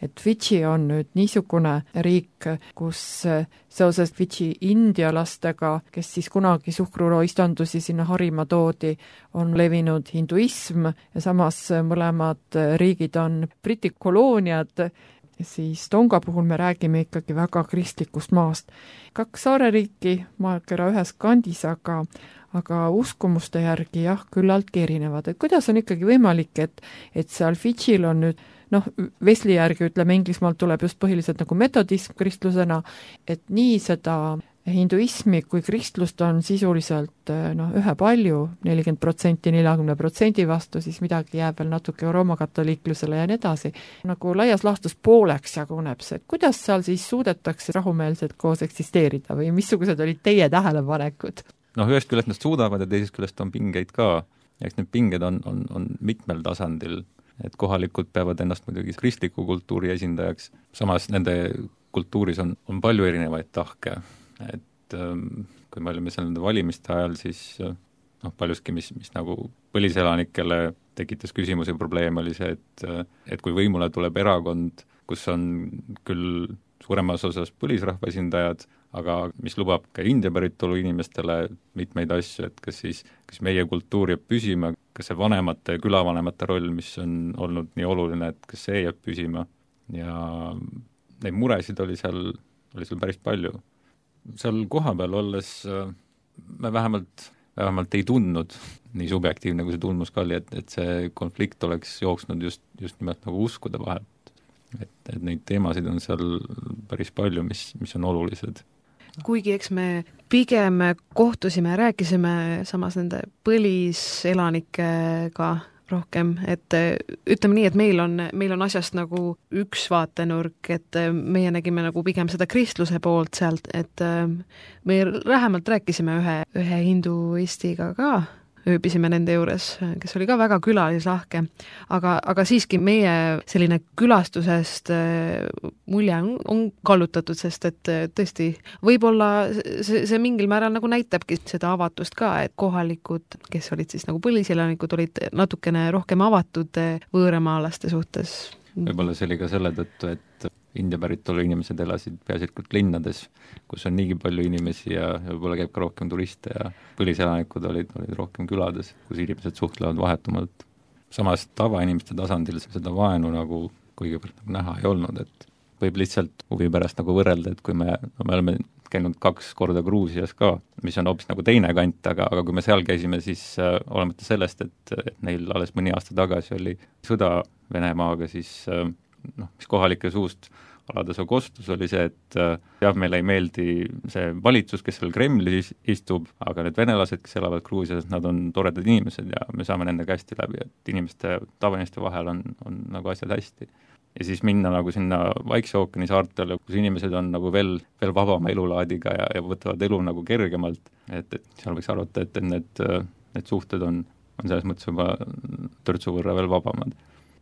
et Fidži on nüüd niisugune riik, kus seoses Fidži indialastega, kes siis kunagi suhkruroo istandusi sinna harima toodi, on levinud hinduism ja samas mõlemad riigid on Briti kolooniad, siis Tonga puhul me räägime ikkagi väga kristlikust maast. 2 saareriiki maakera ühes kandis, aga uskumuste järgi jah, küllaltki erinevad. Et kuidas on ikkagi võimalik, et seal Fidžil on nüüd, Wesley järgi ütleme, Inglismaalt tuleb just põhiliselt nagu metodism kristlusena, et nii seda hinduismi kui kristlust on sisuliselt ühepalju, 40%, 40% vastu, siis midagi jääb veel natuke roomakatoliiklusele ja nii edasi. Nagu laias laastus pooleks jaguneb see, et kuidas seal siis suudetakse rahumeelselt koos eksisteerida või missugused olid teie tähelepanekud? Ühest küljest nad suudavad ja teisest küljest on pingeid ka. Eks need pinged on mitmel tasandil, et kohalikud peavad ennast muidugi kristliku kultuuri esindajaks, samas nende kultuuris on palju erinevaid tahke. Et kui me olime seal nende valimiste ajal, siis paljuski, mis nagu põliselanikele tekitas küsimusi ja probleem oli see, et kui võimule tuleb erakond, kus on küll suuremas osas põlisrahva esindajad, aga mis lubab ka India päritolu inimestele mitmeid asju, et kas meie kultuur jääb püsima, kas see vanemate ja külavanemate roll, mis on olnud nii oluline, et kas see jääb püsima. Ja neid muresid oli seal päris palju. Seal kohapeal olles me vähemalt ei tundnud nii subjektiivne, kui see tundmus ka oli, et see konflikt oleks jooksnud just nimelt nagu uskude vahelt. Et neid teemasid on seal päris palju, mis on olulised. Kuigi eks me pigem kohtusime ja rääkisime samas nende põliselanikega rohkem, et ütleme nii, et meil on asjast nagu üks vaatenurk, et meie nägime nagu pigem seda kristluse poolt sealt, et me lähemalt rääkisime ühe hinduistiga ka, ööbisime nende juures, kes oli ka väga külalislahke, aga siiski meie selline külastusest mulje on kallutatud, sest et tõesti võib-olla see mingil määral nagu näitabki seda avatust ka, et kohalikud, kes olid siis nagu põliselanikud, olid natukene rohkem avatud võõramaalaste suhtes. Võib-olla see oli ka selle tõttu, et India päritolu inimesed elasid peaasjalikult linnades, kus on niigi palju inimesi ja võib-olla käib ka rohkem turiste ja põliselanikud olid rohkem külades, kus inimesed suhtlevad vahetumalt. Samas tavainimeste tasandil seda vaenu nagu kuigivõrd nagu näha ei olnud, et võib lihtsalt huvi pärast nagu võrrelda, et kui me oleme käinud 2 korda Gruusias ka, mis on hoopis nagu teine kant, aga kui me seal käisime, siis olemata sellest, et neil alles mõni aasta tagasi oli sõda Venemaaga, siis mis kohalike suust alades kostus oli see, et meile ei meeldi see valitsus, kes seal Kremlis istub, aga need venelased, kes elavad Gruusias, nad on toredad inimesed ja me saame nendega hästi läbi, et tavainimeste vahel on nagu asjad hästi. Ja siis minna nagu sinna Vaikse ookeani saartele, kus inimesed on nagu veel vabama elulaadiga ja võtavad elu nagu kergemalt, et seal võiks arvata, et need suhted on selles mõttes juba törtsu võrra veel vabamad.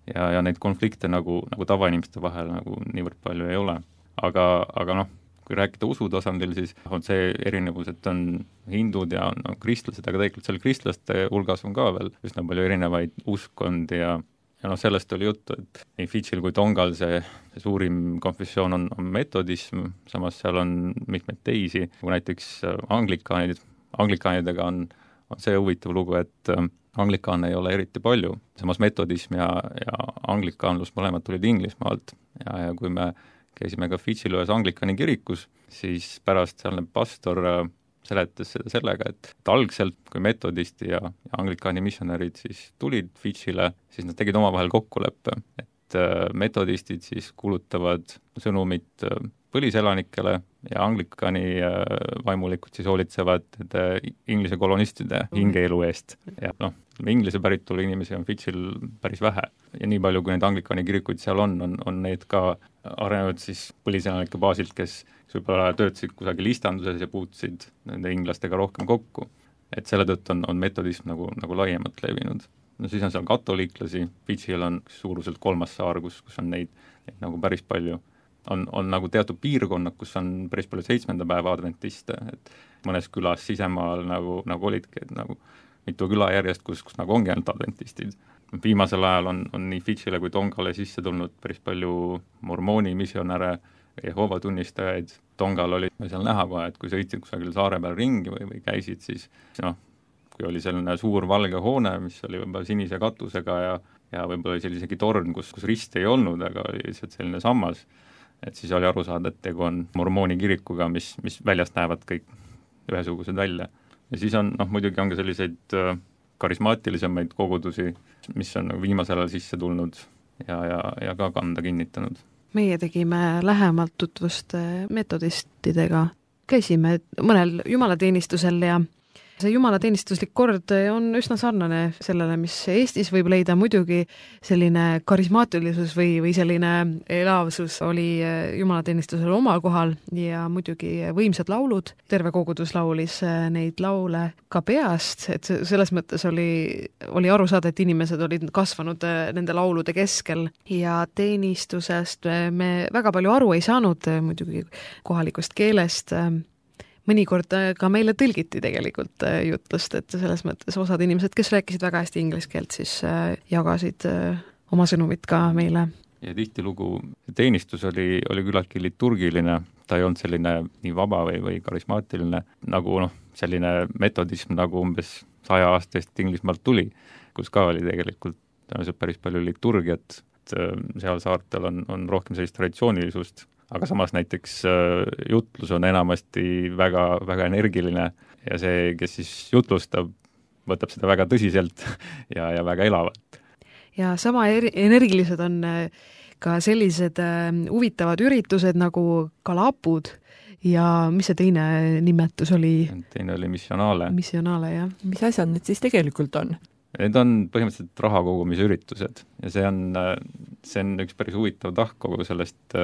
Ja neid konflikte nagu tavainimeste vahel nagu niivõrd palju ei ole. Aga kui rääkida usu tasandil, siis on see erinevus, et on hindud ja on kristlased, aga tegelikult seal kristlaste hulgas on ka veel üsna palju erinevaid uskondi ja sellest oli juttu, et nii Fidžil kui Tongal see suurim konfessioon on metodism, samas seal on mitmeid teisi, kui näiteks anglikaanidega on see huvitav lugu, et anglikaane ei ole eriti palju, samas metodism ja anglikaanlus mõlemad tulid Inglismaalt ja kui me käisime ka Fidžil ühes anglikaani kirikus, siis pärast sealne pastor seletas seda sellega, et algselt, kui metodisti ja anglikaani missionärid siis tulid Fidžile, siis nad tegid omavahel kokkuleppe, et metodistid siis kuulutavad sõnumit põliselanikele ja anglikani vaimulikud siis hoolitsevad Inglise kolonistide hingeelu eest. Ja noh, inglise päritolu inimesi on Fidžil päris vähe ja nii palju, kui neid anglikani kirikuid seal on need ka arenenud siis põliselanike baasilt, kes võib-olla töötasid kusagil istanduses ja puutusid nende inglastega rohkem kokku. Et selle tõttu on metodism nagu laiemalt levinud. No siis on seal katoliiklasi, Fidžil on suuruselt 3. saar, kus on neid nagu päris palju. On nagu teatud piirkonnad, kus on päris palju 7. päeva adventiste, et mõnes külas sisemaal nagu olidki, et nagu mitu küla järjest, kus nagu ongi ainult adventistid. Viimasel ajal on nii Fidžile kui Tongale sisse tulnud päris palju mormooni missionäre, Jehova tunnistajaid. Tongal oli seal näha kohe, et kui sõitsid kusagil saare peal ringi või käisid, siis noh, kui oli selline suur valge hoone, mis oli võib-olla sinise katusega ja võib-olla oli isegi torn, kus rist ei olnud, aga oli lihtsalt selline sammas, et siis oli aru saada, et tegu on mormooni kirikuga, mis väljast näevad kõik ühesugused välja. Ja siis on, muidugi on ka selliseid karismaatilisemaid kogudusi, mis on viimasel ajal sisse tulnud ja ka kanda kinnitanud. Meie tegime lähemalt tutvust metodistidega. Käisime mõnel jumalateenistusel ja see jumalateenistuslik kord on üsna sarnane sellele, mis Eestis võib leida. Muidugi selline karismaatilisus või selline elavsus oli jumalateenistusel omal kohal ja muidugi võimsad laulud. Terve kogudus laulis neid laule ka peast, et selles mõttes oli aru saada, et inimesed olid kasvanud nende laulude keskel ja teenistusest me väga palju aru ei saanud muidugi kohalikust keelest. Mõnikord ka meile tõlgiti tegelikult jutlust, et selles mõttes osad inimesed, kes rääkisid väga hästi inglise keelt, siis jagasid oma sõnumit ka meile. Ja tihtilugu teenistus oli küllaltki liturgiline, ta ei olnud selline nii vaba või karismaatiline, nagu selline metodism nagu umbes 100 aastast Inglismaalt tuli, kus ka oli tegelikult päris palju liturgiat, seal saartel on rohkem sellist traditsioonilisust, aga samas näiteks jutlus on enamasti väga, väga energiline ja see, kes siis jutlustab, võtab seda väga tõsiselt ja väga elavalt. Ja sama energilised on ka sellised huvitavad üritused nagu kalapud ja mis see teine nimetus oli? Teine oli missionaale. Missionaale, jah. Mis asjad need siis tegelikult on? Need on põhimõtteliselt raha kogumise üritused ja see on üks päris huvitav tahk kogu sellest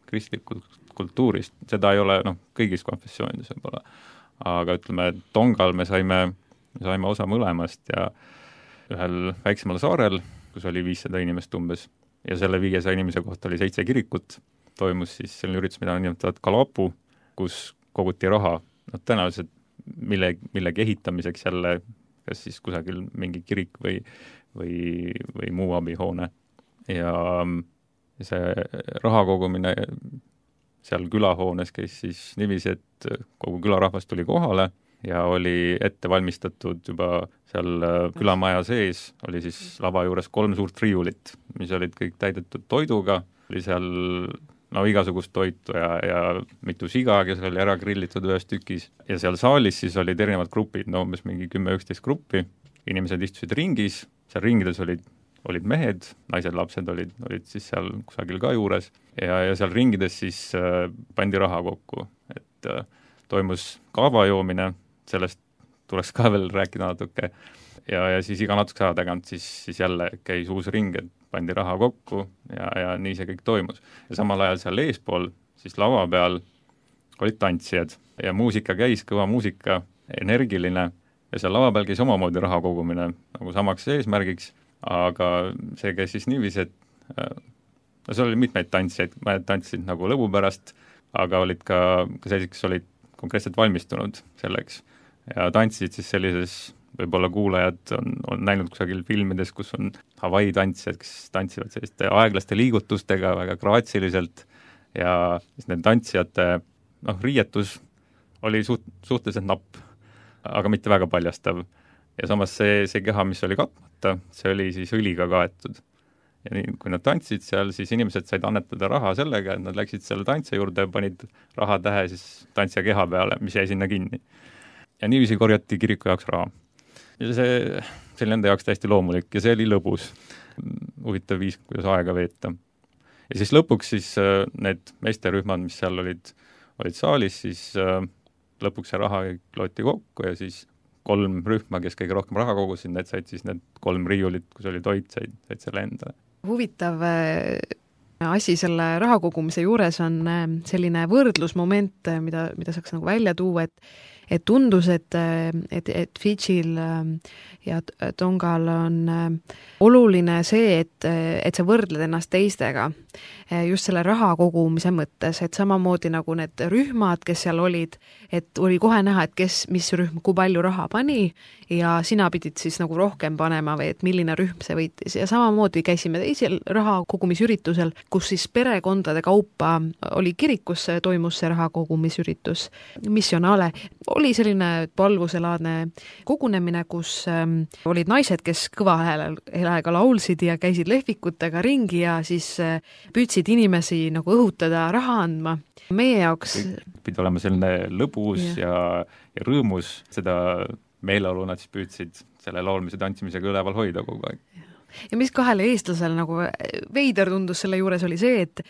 kristlikust kultuurist. Seda ei ole kõigis konfessioonides võib-olla, aga ütleme, Tongal me saime osa mõlemast ja ühel väiksemal saarel, kus oli 500 inimest umbes ja selle 500 inimese kohta oli 7 kirikut, toimus siis selline üritus, mida nimetavad kalapu, kus koguti raha, tõenäoliselt millegi ehitamiseks jälle, kas siis kusagil mingi kirik või muu abihoone. Ja see raha kogumine seal külahoones käis siis niiviisi, et kogu külarahvas tuli kohale ja oli ette valmistatud juba seal külamaja sees, oli siis lava juures 3 suurt riiulit, mis olid kõik täidetud toiduga, oli seal igasugust toitu ja mitu siga, kes oli ära grillitud ühes tükis. Ja seal saalis siis olid erinevad grupid, umbes mingi 10-11 gruppi. Inimesed istusid ringis, seal ringides olid mehed, naised, lapsed olid siis seal kusagil ka juures. Ja seal ringides siis pandi raha kokku, et toimus kaavajoomine, sellest tuleks ka veel rääkida natuke. Ja siis iga natuke aja tagant siis jälle käis uus ring, et pandi raha kokku ja nii see kõik toimus. Ja samal ajal seal eespool, siis lava peal olid tantsijad ja muusika käis, kõva muusika, energiline ja seal lava peal käis omamoodi raha kogumine nagu samaks eesmärgiks, aga see käis siis niiviisi, et seal oli mitmeid tantsijaid, mõned tantsisid nagu lõbu pärast, aga olid ka sellised, kes olid konkreetselt valmistunud selleks ja tantsisid siis sellises võib-olla kuulajad on näinud kusagil filmides, kus on Hawaii tantsijad, kes tantsivad selliste aeglaste liigutustega väga graatsiliselt ja siis need tantsijate riietus oli suhteliselt napp, aga mitte väga paljastav. Ja samas see keha, mis oli katmata, see oli siis õliga kaetud. Ja nii, kui nad tantsisid seal, siis inimesed said annetada raha sellega, et nad läksid selle tantsija juurde ja panid raha tähe siis tantsija keha peale, mis jäi sinna kinni. Ja niiviisi korjati kiriku jaoks raha. Ja see oli nende jaoks täiesti loomulik ja see oli lõbus, huvitav viis, kuidas aega veeta. Ja siis lõpuks siis need meesterühmad, mis seal olid olid saalis, siis lõpuks see raha loeti kokku ja siis 3 rühma, kes kõige rohkem raha kogusid, need said siis need 3 riiulit, kus oli toit, said selle endale. Huvitav asi selle raha kogumise juures on selline võrdlusmoment, mida saaks nagu välja tuua, et tundus, et Fidžil ja Tongal on oluline see, et sa võrdled ennast teistega just selle raha kogumise mõttes, et samamoodi nagu need rühmad, kes seal olid, et oli kohe näha, et mis rühm kui palju raha pani ja sina pidid siis nagu rohkem panema või et milline rühm see võitis. Ja samamoodi käisime teisel raha kogumisüritusel, kus siis perekondade kaupa oli kirikus, toimus see raha kogumisüritus missionaale. Oli selline palvuselaadne kogunemine, kus olid naised, kes kõva häälega laulsid ja käisid lehvikutega ringi ja siis püüdsid inimesi nagu õhutada raha andma. Meie jaoks pidi olema selline lõbus ja rõõmus, seda meeleolu nad siis püüdsid selle laulmise tantsimisega üleval hoida kogu aeg. Ja mis kahele eestlasele nagu veider tundus selle juures oli see, et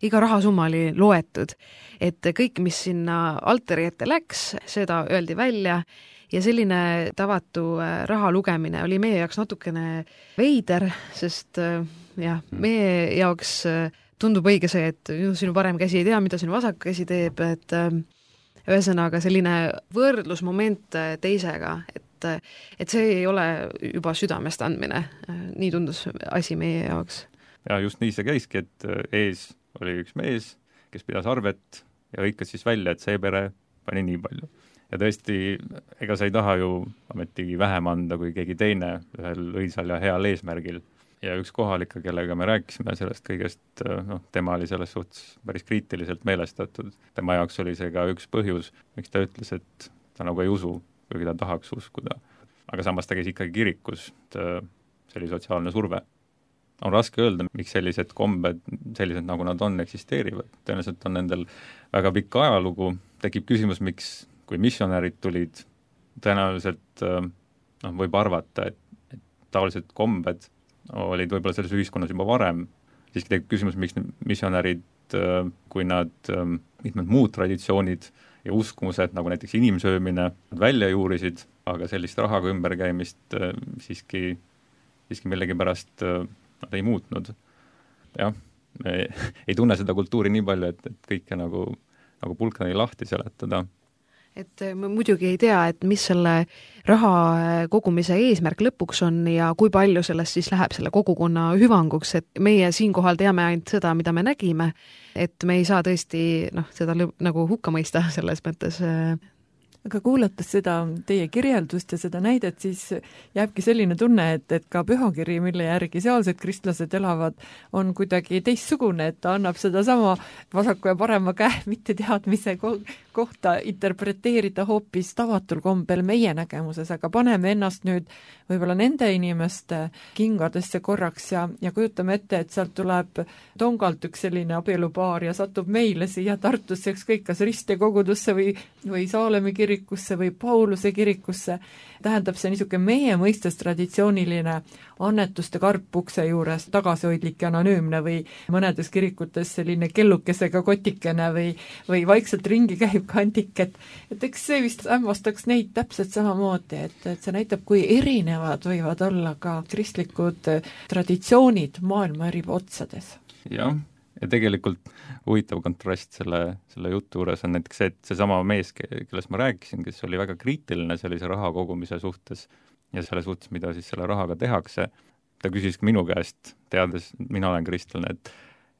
iga rahasumma oli loetud, et kõik, mis sinna altari ette läks, seda öeldi välja ja selline tavatu raha lugemine oli meie jaoks natukene veider, sest meie jaoks tundub õige see, et sinu parem käsi ei tea, mida sinu vasak käsi teeb, et ühesõnaga selline võrdlusmoment teisega, et see ei ole juba südamest andmine. Nii tundus asi meie jaoks. Ja just nii see käiski, et ees oli üks mees, kes pidas arvet ja hõikas siis välja, et see pere pani nii palju. Ja tõesti, ega sa ei taha ju ametigi vähem anda kui keegi teine ühel õilsal ja heal eesmärgil. Ja üks kohalik, kellega me rääkisime sellest kõigest, tema oli selles suhtes päris kriitiliselt meelestatud. Tema jaoks oli see ka üks põhjus, miks ta ütles, et ta nagu ei usu, kuigi ta tahaks uskuda. Aga samas ta käis ikkagi kirikus, see oli sotsiaalne surve. On raske öelda, miks sellised kombed, sellised nagu nad on, eksisteerivad. Tõenäoliselt on nendel väga pikk ajalugu. Tekib küsimus, miks, kui missionärid tulid, tõenäoliselt võib arvata, et taolised kombed olid võib-olla selles ühiskonnas juba varem. Siiski tekib küsimus, miks missionärid, kui nad mitmed muud traditsioonid ja uskumused, nagu näiteks inimsöömine, välja juurisid, aga sellist rahaga ümberkäimist siiski millegipärast nad ei muutnud. Jah, me ei tunne seda kultuuri nii palju, et kõike nagu pulkani lahti seletada. Et me muidugi ei tea, et mis selle raha kogumise eesmärk lõpuks on ja kui palju sellest siis läheb selle kogukonna hüvanguks, et meie siinkohal teame ainult seda, mida me nägime, et me ei saa tõesti seda nagu hukka mõista selles mõttes. Aga kuulates seda teie kirjeldust ja seda näidet, siis jääbki selline tunne, et ka pühakiri, mille järgi sealsed kristlased elavad, on kuidagi teistsugune, et ta annab seda sama vasaku ja parema käe mitte teadmise kohta interpreteerida hoopis tavatul kombel meie nägemuses, aga paneme ennast nüüd võib-olla nende inimeste kingadesse korraks ja kujutame ette, et sealt tuleb Tongalt üks selline abielupaar ja satub meile siia Tartusse ükskõik kas Riste kogudusse või Saalemi kirikusse või Pauluse kirikusse. Tähendab see niisugune meie mõistes traditsiooniline annetuste karp ukse juures, tagasihoidlik ja anonüümne või mõnedes kirikutes selline kellukesega kotikene või vaikselt ringi käib kandik, et eks see vist hämmastaks neid täpselt samamoodi, et see näitab, kui erinevad võivad olla ka kristlikud traditsioonid maailma eri otsades. Jah, ja tegelikult huvitav kontrast selle jutu juures on näiteks see, et seesama mees, kellest ma rääkisin, kes oli väga kriitiline sellise raha kogumise suhtes ja selle suhtes, mida siis selle rahaga tehakse, ta küsis minu käest, teades, mina olen kristlane,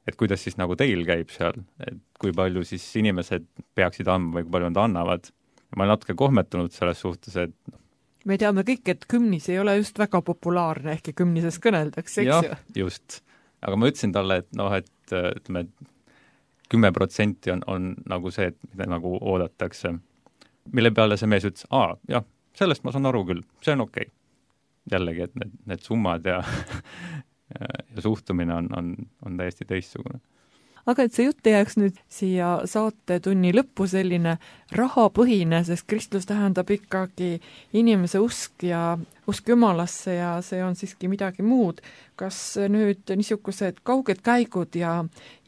et kuidas siis nagu teil käib seal, et kui palju siis inimesed peaksid andma või kui palju nad annavad. Ma olen natuke kohmetunud selles suhtes, et me teame kõik, et kümnis ei ole just väga populaarne, ehkki kümnises kõneldakse, eks ju? Just. Aga ma ütlesin talle, et ütleme, 10% on nagu see, mida nagu oodatakse. Mille peale see mees ütles, jah, sellest ma saan aru küll, see on okei. Jällegi, et need summad ja suhtumine on täiesti teistsugune. Aga et see jutt ei jääks nüüd siia saatetunni lõppu selline rahapõhine, sest kristlus tähendab ikkagi inimese usk ja usk jumalasse ja see on siiski midagi muud. Kas nüüd niisugused kauged käigud ja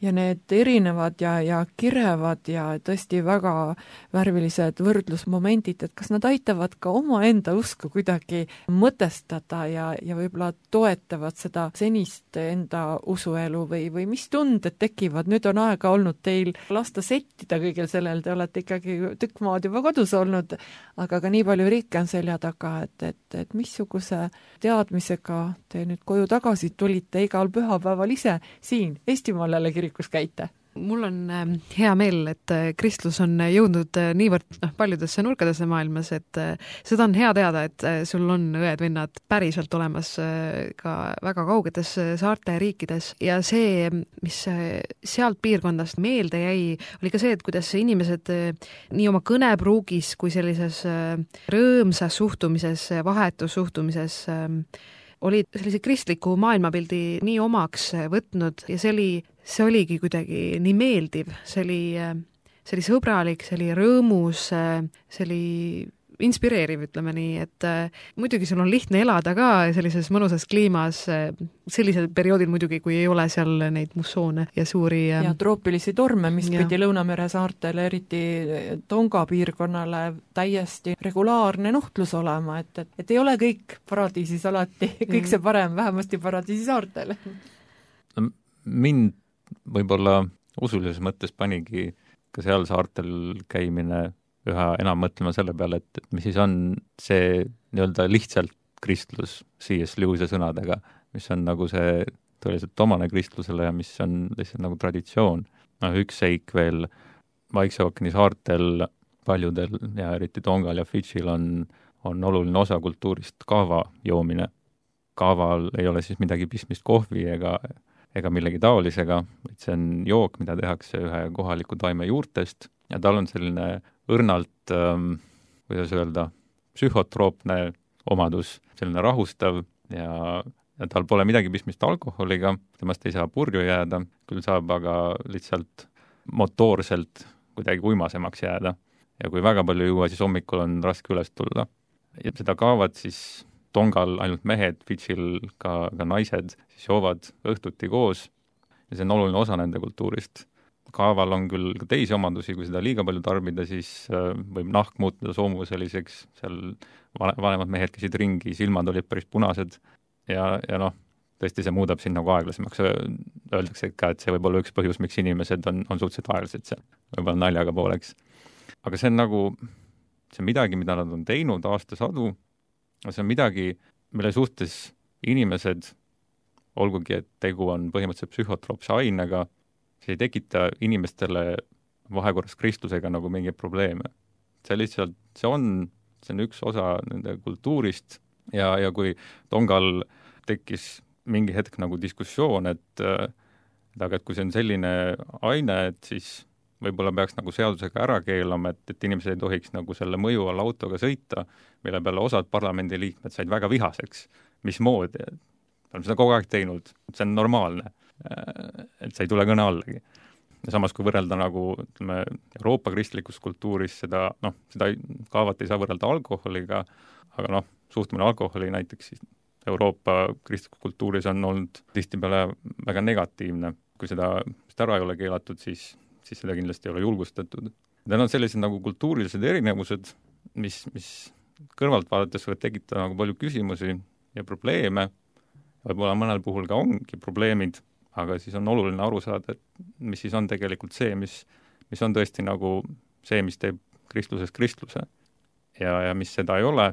need erinevad ja kirevad ja tõesti väga värvilised võrdlusmomendid, et kas nad aitavad ka omaenda usku kuidagi mõtestada ja võib-olla toetavad seda senist enda usuelu või mis tunded tekivad? Nüüd on aega olnud teil lasta settida kõigil sellel, te olete ikkagi tükk maad juba kodus olnud, aga ka nii palju riike on selja taga, et missuguse teadmisega te nüüd koju tagasi tulite igal pühapäeval ise siin Eestimaal jälle kirikus käite? Mul on hea meel, et kristlus on jõudnud niivõrd paljudesse nurkadesse maailmas, et seda on hea teada, et sul on õed-vennad päriselt olemas ka väga kaugetes saarte riikides ja see, mis sealt piirkondast meelde jäi, oli ka see, et kuidas inimesed nii oma kõnepruugis kui sellises rõõmsas suhtumises, vahetus suhtumises olid sellise kristliku maailmapildi nii omaks võtnud ja see oligi kuidagi nii meeldiv, see oli sõbralik, see oli rõõmus, see oli inspireeriv, ütleme nii, et muidugi sul on lihtne elada ka sellises mõnusas kliimas, sellisel perioodil muidugi, kui ei ole seal neid mussoone ja suuri ja troopilisi torme, mis pidi Lõunamere saartele, eriti Tonga piirkonnale täiesti regulaarne nuhtlus olema, et ei ole kõik paradiisis alati, kõik see parem, vähemasti paradiisi saartel. Mind võib-olla usulises mõttes panigi ka seal saartel käimine üha enam mõtlema selle peale, et mis siis on see nii-öelda lihtsalt kristlus C.S. Lewise sõnadega, mis on nagu see tõeliselt omane kristlusele ja mis on lihtsalt nagu traditsioon. Üks seik veel, Vaikse ookeani saartel paljudel ja eriti Tongal ja Fidžil on oluline osa kultuurist kaava joomine. Kaaval ei ole siis midagi pistmist kohvi ega millegi taolisega, et see on jook, mida tehakse ühe kohaliku taime juurtest ja tal on selline õrnalt, kuidas öelda, psühhotroopne omadus, selline rahustav ja tal pole midagi pistmist alkoholiga, temast ei saa purju jääda, küll saab aga lihtsalt motoorselt kuidagi uimasemaks jääda. Ja kui väga palju juua, siis hommikul on raske üles tulla. Ja seda kaavad siis Tongal ainult mehed, Fidžil ka naised, siis joovad õhtuti koos ja see on oluline osa nende kultuurist. Kaaval on küll ka teisi omadusi, kui seda liiga palju tarbida, siis võib nahk muutuda soomuseliseks, seal vanemad mehed käisid ringi, silmad olid päris punased ja tõesti see muudab sind nagu aeglasemaks. Öeldakse ka, et see võib olla üks põhjus, miks inimesed on suhteliselt aeglased seal, võib-olla naljaga pooleks. Aga see on nagu, see on midagi, mida nad on teinud aastasadu, see on midagi, mille suhtes inimesed, olgugi, et tegu on põhimõtteliselt psühhotroopse ainega, see ei tekita inimestele vahekorras kristlusega nagu mingeid probleeme. See lihtsalt, see on üks osa nende kultuurist ja kui Tongal tekkis mingi hetk nagu diskussioon, et kui see on selline aine, et siis võib-olla peaks nagu seadusega ära keelama, et inimesed ei tohiks nagu selle mõju all autoga sõita, mille peale osad parlamendiliikmed said väga vihaseks. Mismoodi? On seda kogu aeg teinud, see on normaalne. Et see ei tule kõne allagi. Ja samas, kui võrrelda nagu Euroopa kristlikus kultuuris, seda kaavat ei saa võrrelda alkoholiga, aga suhtumine alkoholi näiteks Euroopa kristlikus kultuuris on olnud tihtipeale väga negatiivne. Kui seda ära ei ole keelatud, siis seda kindlasti ei ole julgustatud. Need on sellised nagu kultuurilised erinevused, mis kõrvalt vaadates võivad tekitada nagu palju küsimusi ja probleeme. Võib-olla mõnel puhul ka ongi probleemid, aga siis on oluline aru saada, et mis siis on tegelikult see, mis on tõesti nagu see, mis teeb kristluses kristluse. Ja mis seda ei ole,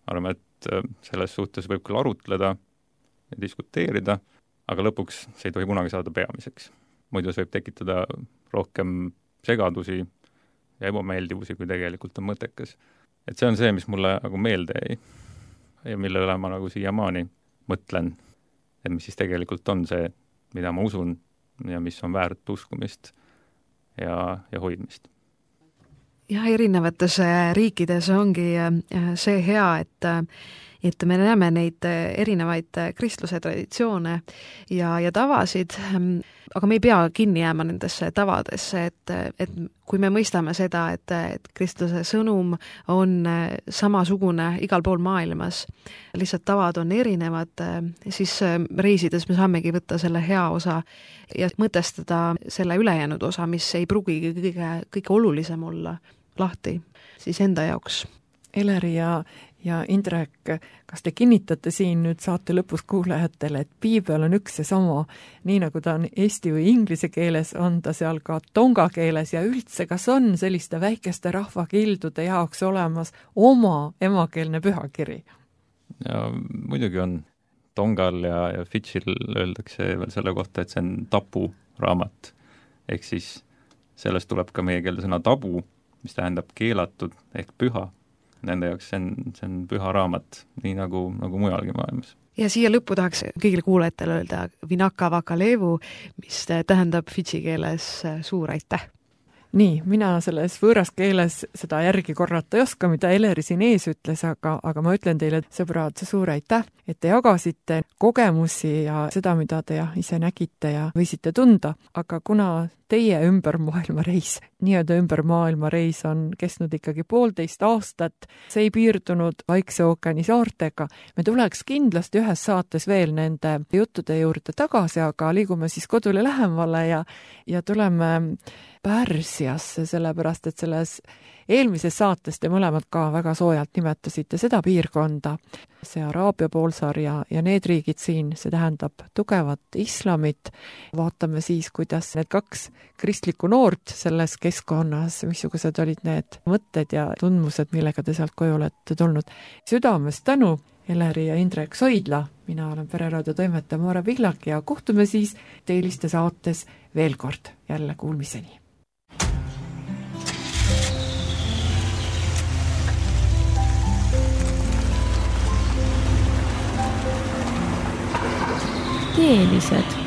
arvame, et selles suhtes võib küll arutleda ja diskuteerida, aga lõpuks see ei tohi kunagi saada peamiseks. Muidu see võib tekitada rohkem segadusi ja ebameeldivusi, kui tegelikult on mõttekas. Et see on see, mis mulle nagu meelde jäi ja mille üle ma nagu siiamaani mõtlen, et mis siis tegelikult on see, mida ma usun ja mis on väärt uskumist ja hoidmist. Ja erinevates riikides ongi see hea, et et me näeme neid erinevaid kristluse traditsioone ja tavasid, aga me ei pea kinni jääma nendesse tavadesse, et kui me mõistame seda, et kristluse sõnum on samasugune igal pool maailmas, lihtsalt tavad on erinevad, siis reisides me saamegi võtta selle hea osa ja mõtestada selle ülejäänud osa, mis ei pruugigi kõige olulisem olla, lahti siis enda jaoks. Eleri ja Indrek, kas te kinnitate siin nüüd saate lõpus kuulajatele, et piibel on üks ja sama, nii nagu ta on eesti või inglise keeles, on ta seal ka tonga keeles ja üldse, kas on selliste väikeste rahvakildude jaoks olemas oma emakeelne pühakiri? Ja muidugi on. Tongal ja Fidžil öeldakse veel selle kohta, et see on tabu raamat. Ehk siis sellest tuleb ka meie keelde sõna tabu, mis tähendab keelatud ehk püha. Nende jaoks see on püha raamat, nii nagu mujalgi maailmas. Ja siia lõppu tahaks kõigile kuulajatele öelda Vinaka Vakalevu, mis tähendab fidži keeles suur aitäh. Nii, mina selles võõras keeles seda järgi korrata ei oska, mida Eleri siin ees ütles, aga ma ütlen teile, sõbrad, suur aitäh, et te jagasite kogemusi ja seda, mida te ise nägite ja võisite tunda, aga kuna teie ümbermaailmareis, nii-öelda ümbermaailmareis on kestnud ikkagi 1,5 aastat, see ei piirdunud Vaikse ookeani saartega, me tuleks kindlasti ühes saates veel nende juttude juurde tagasi, aga liigume siis kodule lähemale ja tuleme Pärsiasse, sellepärast et selles eelmises saates te mõlemad ka väga soojalt nimetasite seda piirkonda, see Araabia poolsaar ja need riigid siin, see tähendab tugevat islamit. Vaatame siis, kuidas need 2 kristlikku noort selles keskkonnas, missugused olid need mõtted ja tundmused, millega te sealt koju olete tulnud. Südamest tänu, Eleri ja Indrek Soidla, mina olen Pereraadio toimetaja Maare Pihlak ja kohtume siis Teeliste saates veel kord, jälle kuulmiseni. Teelised.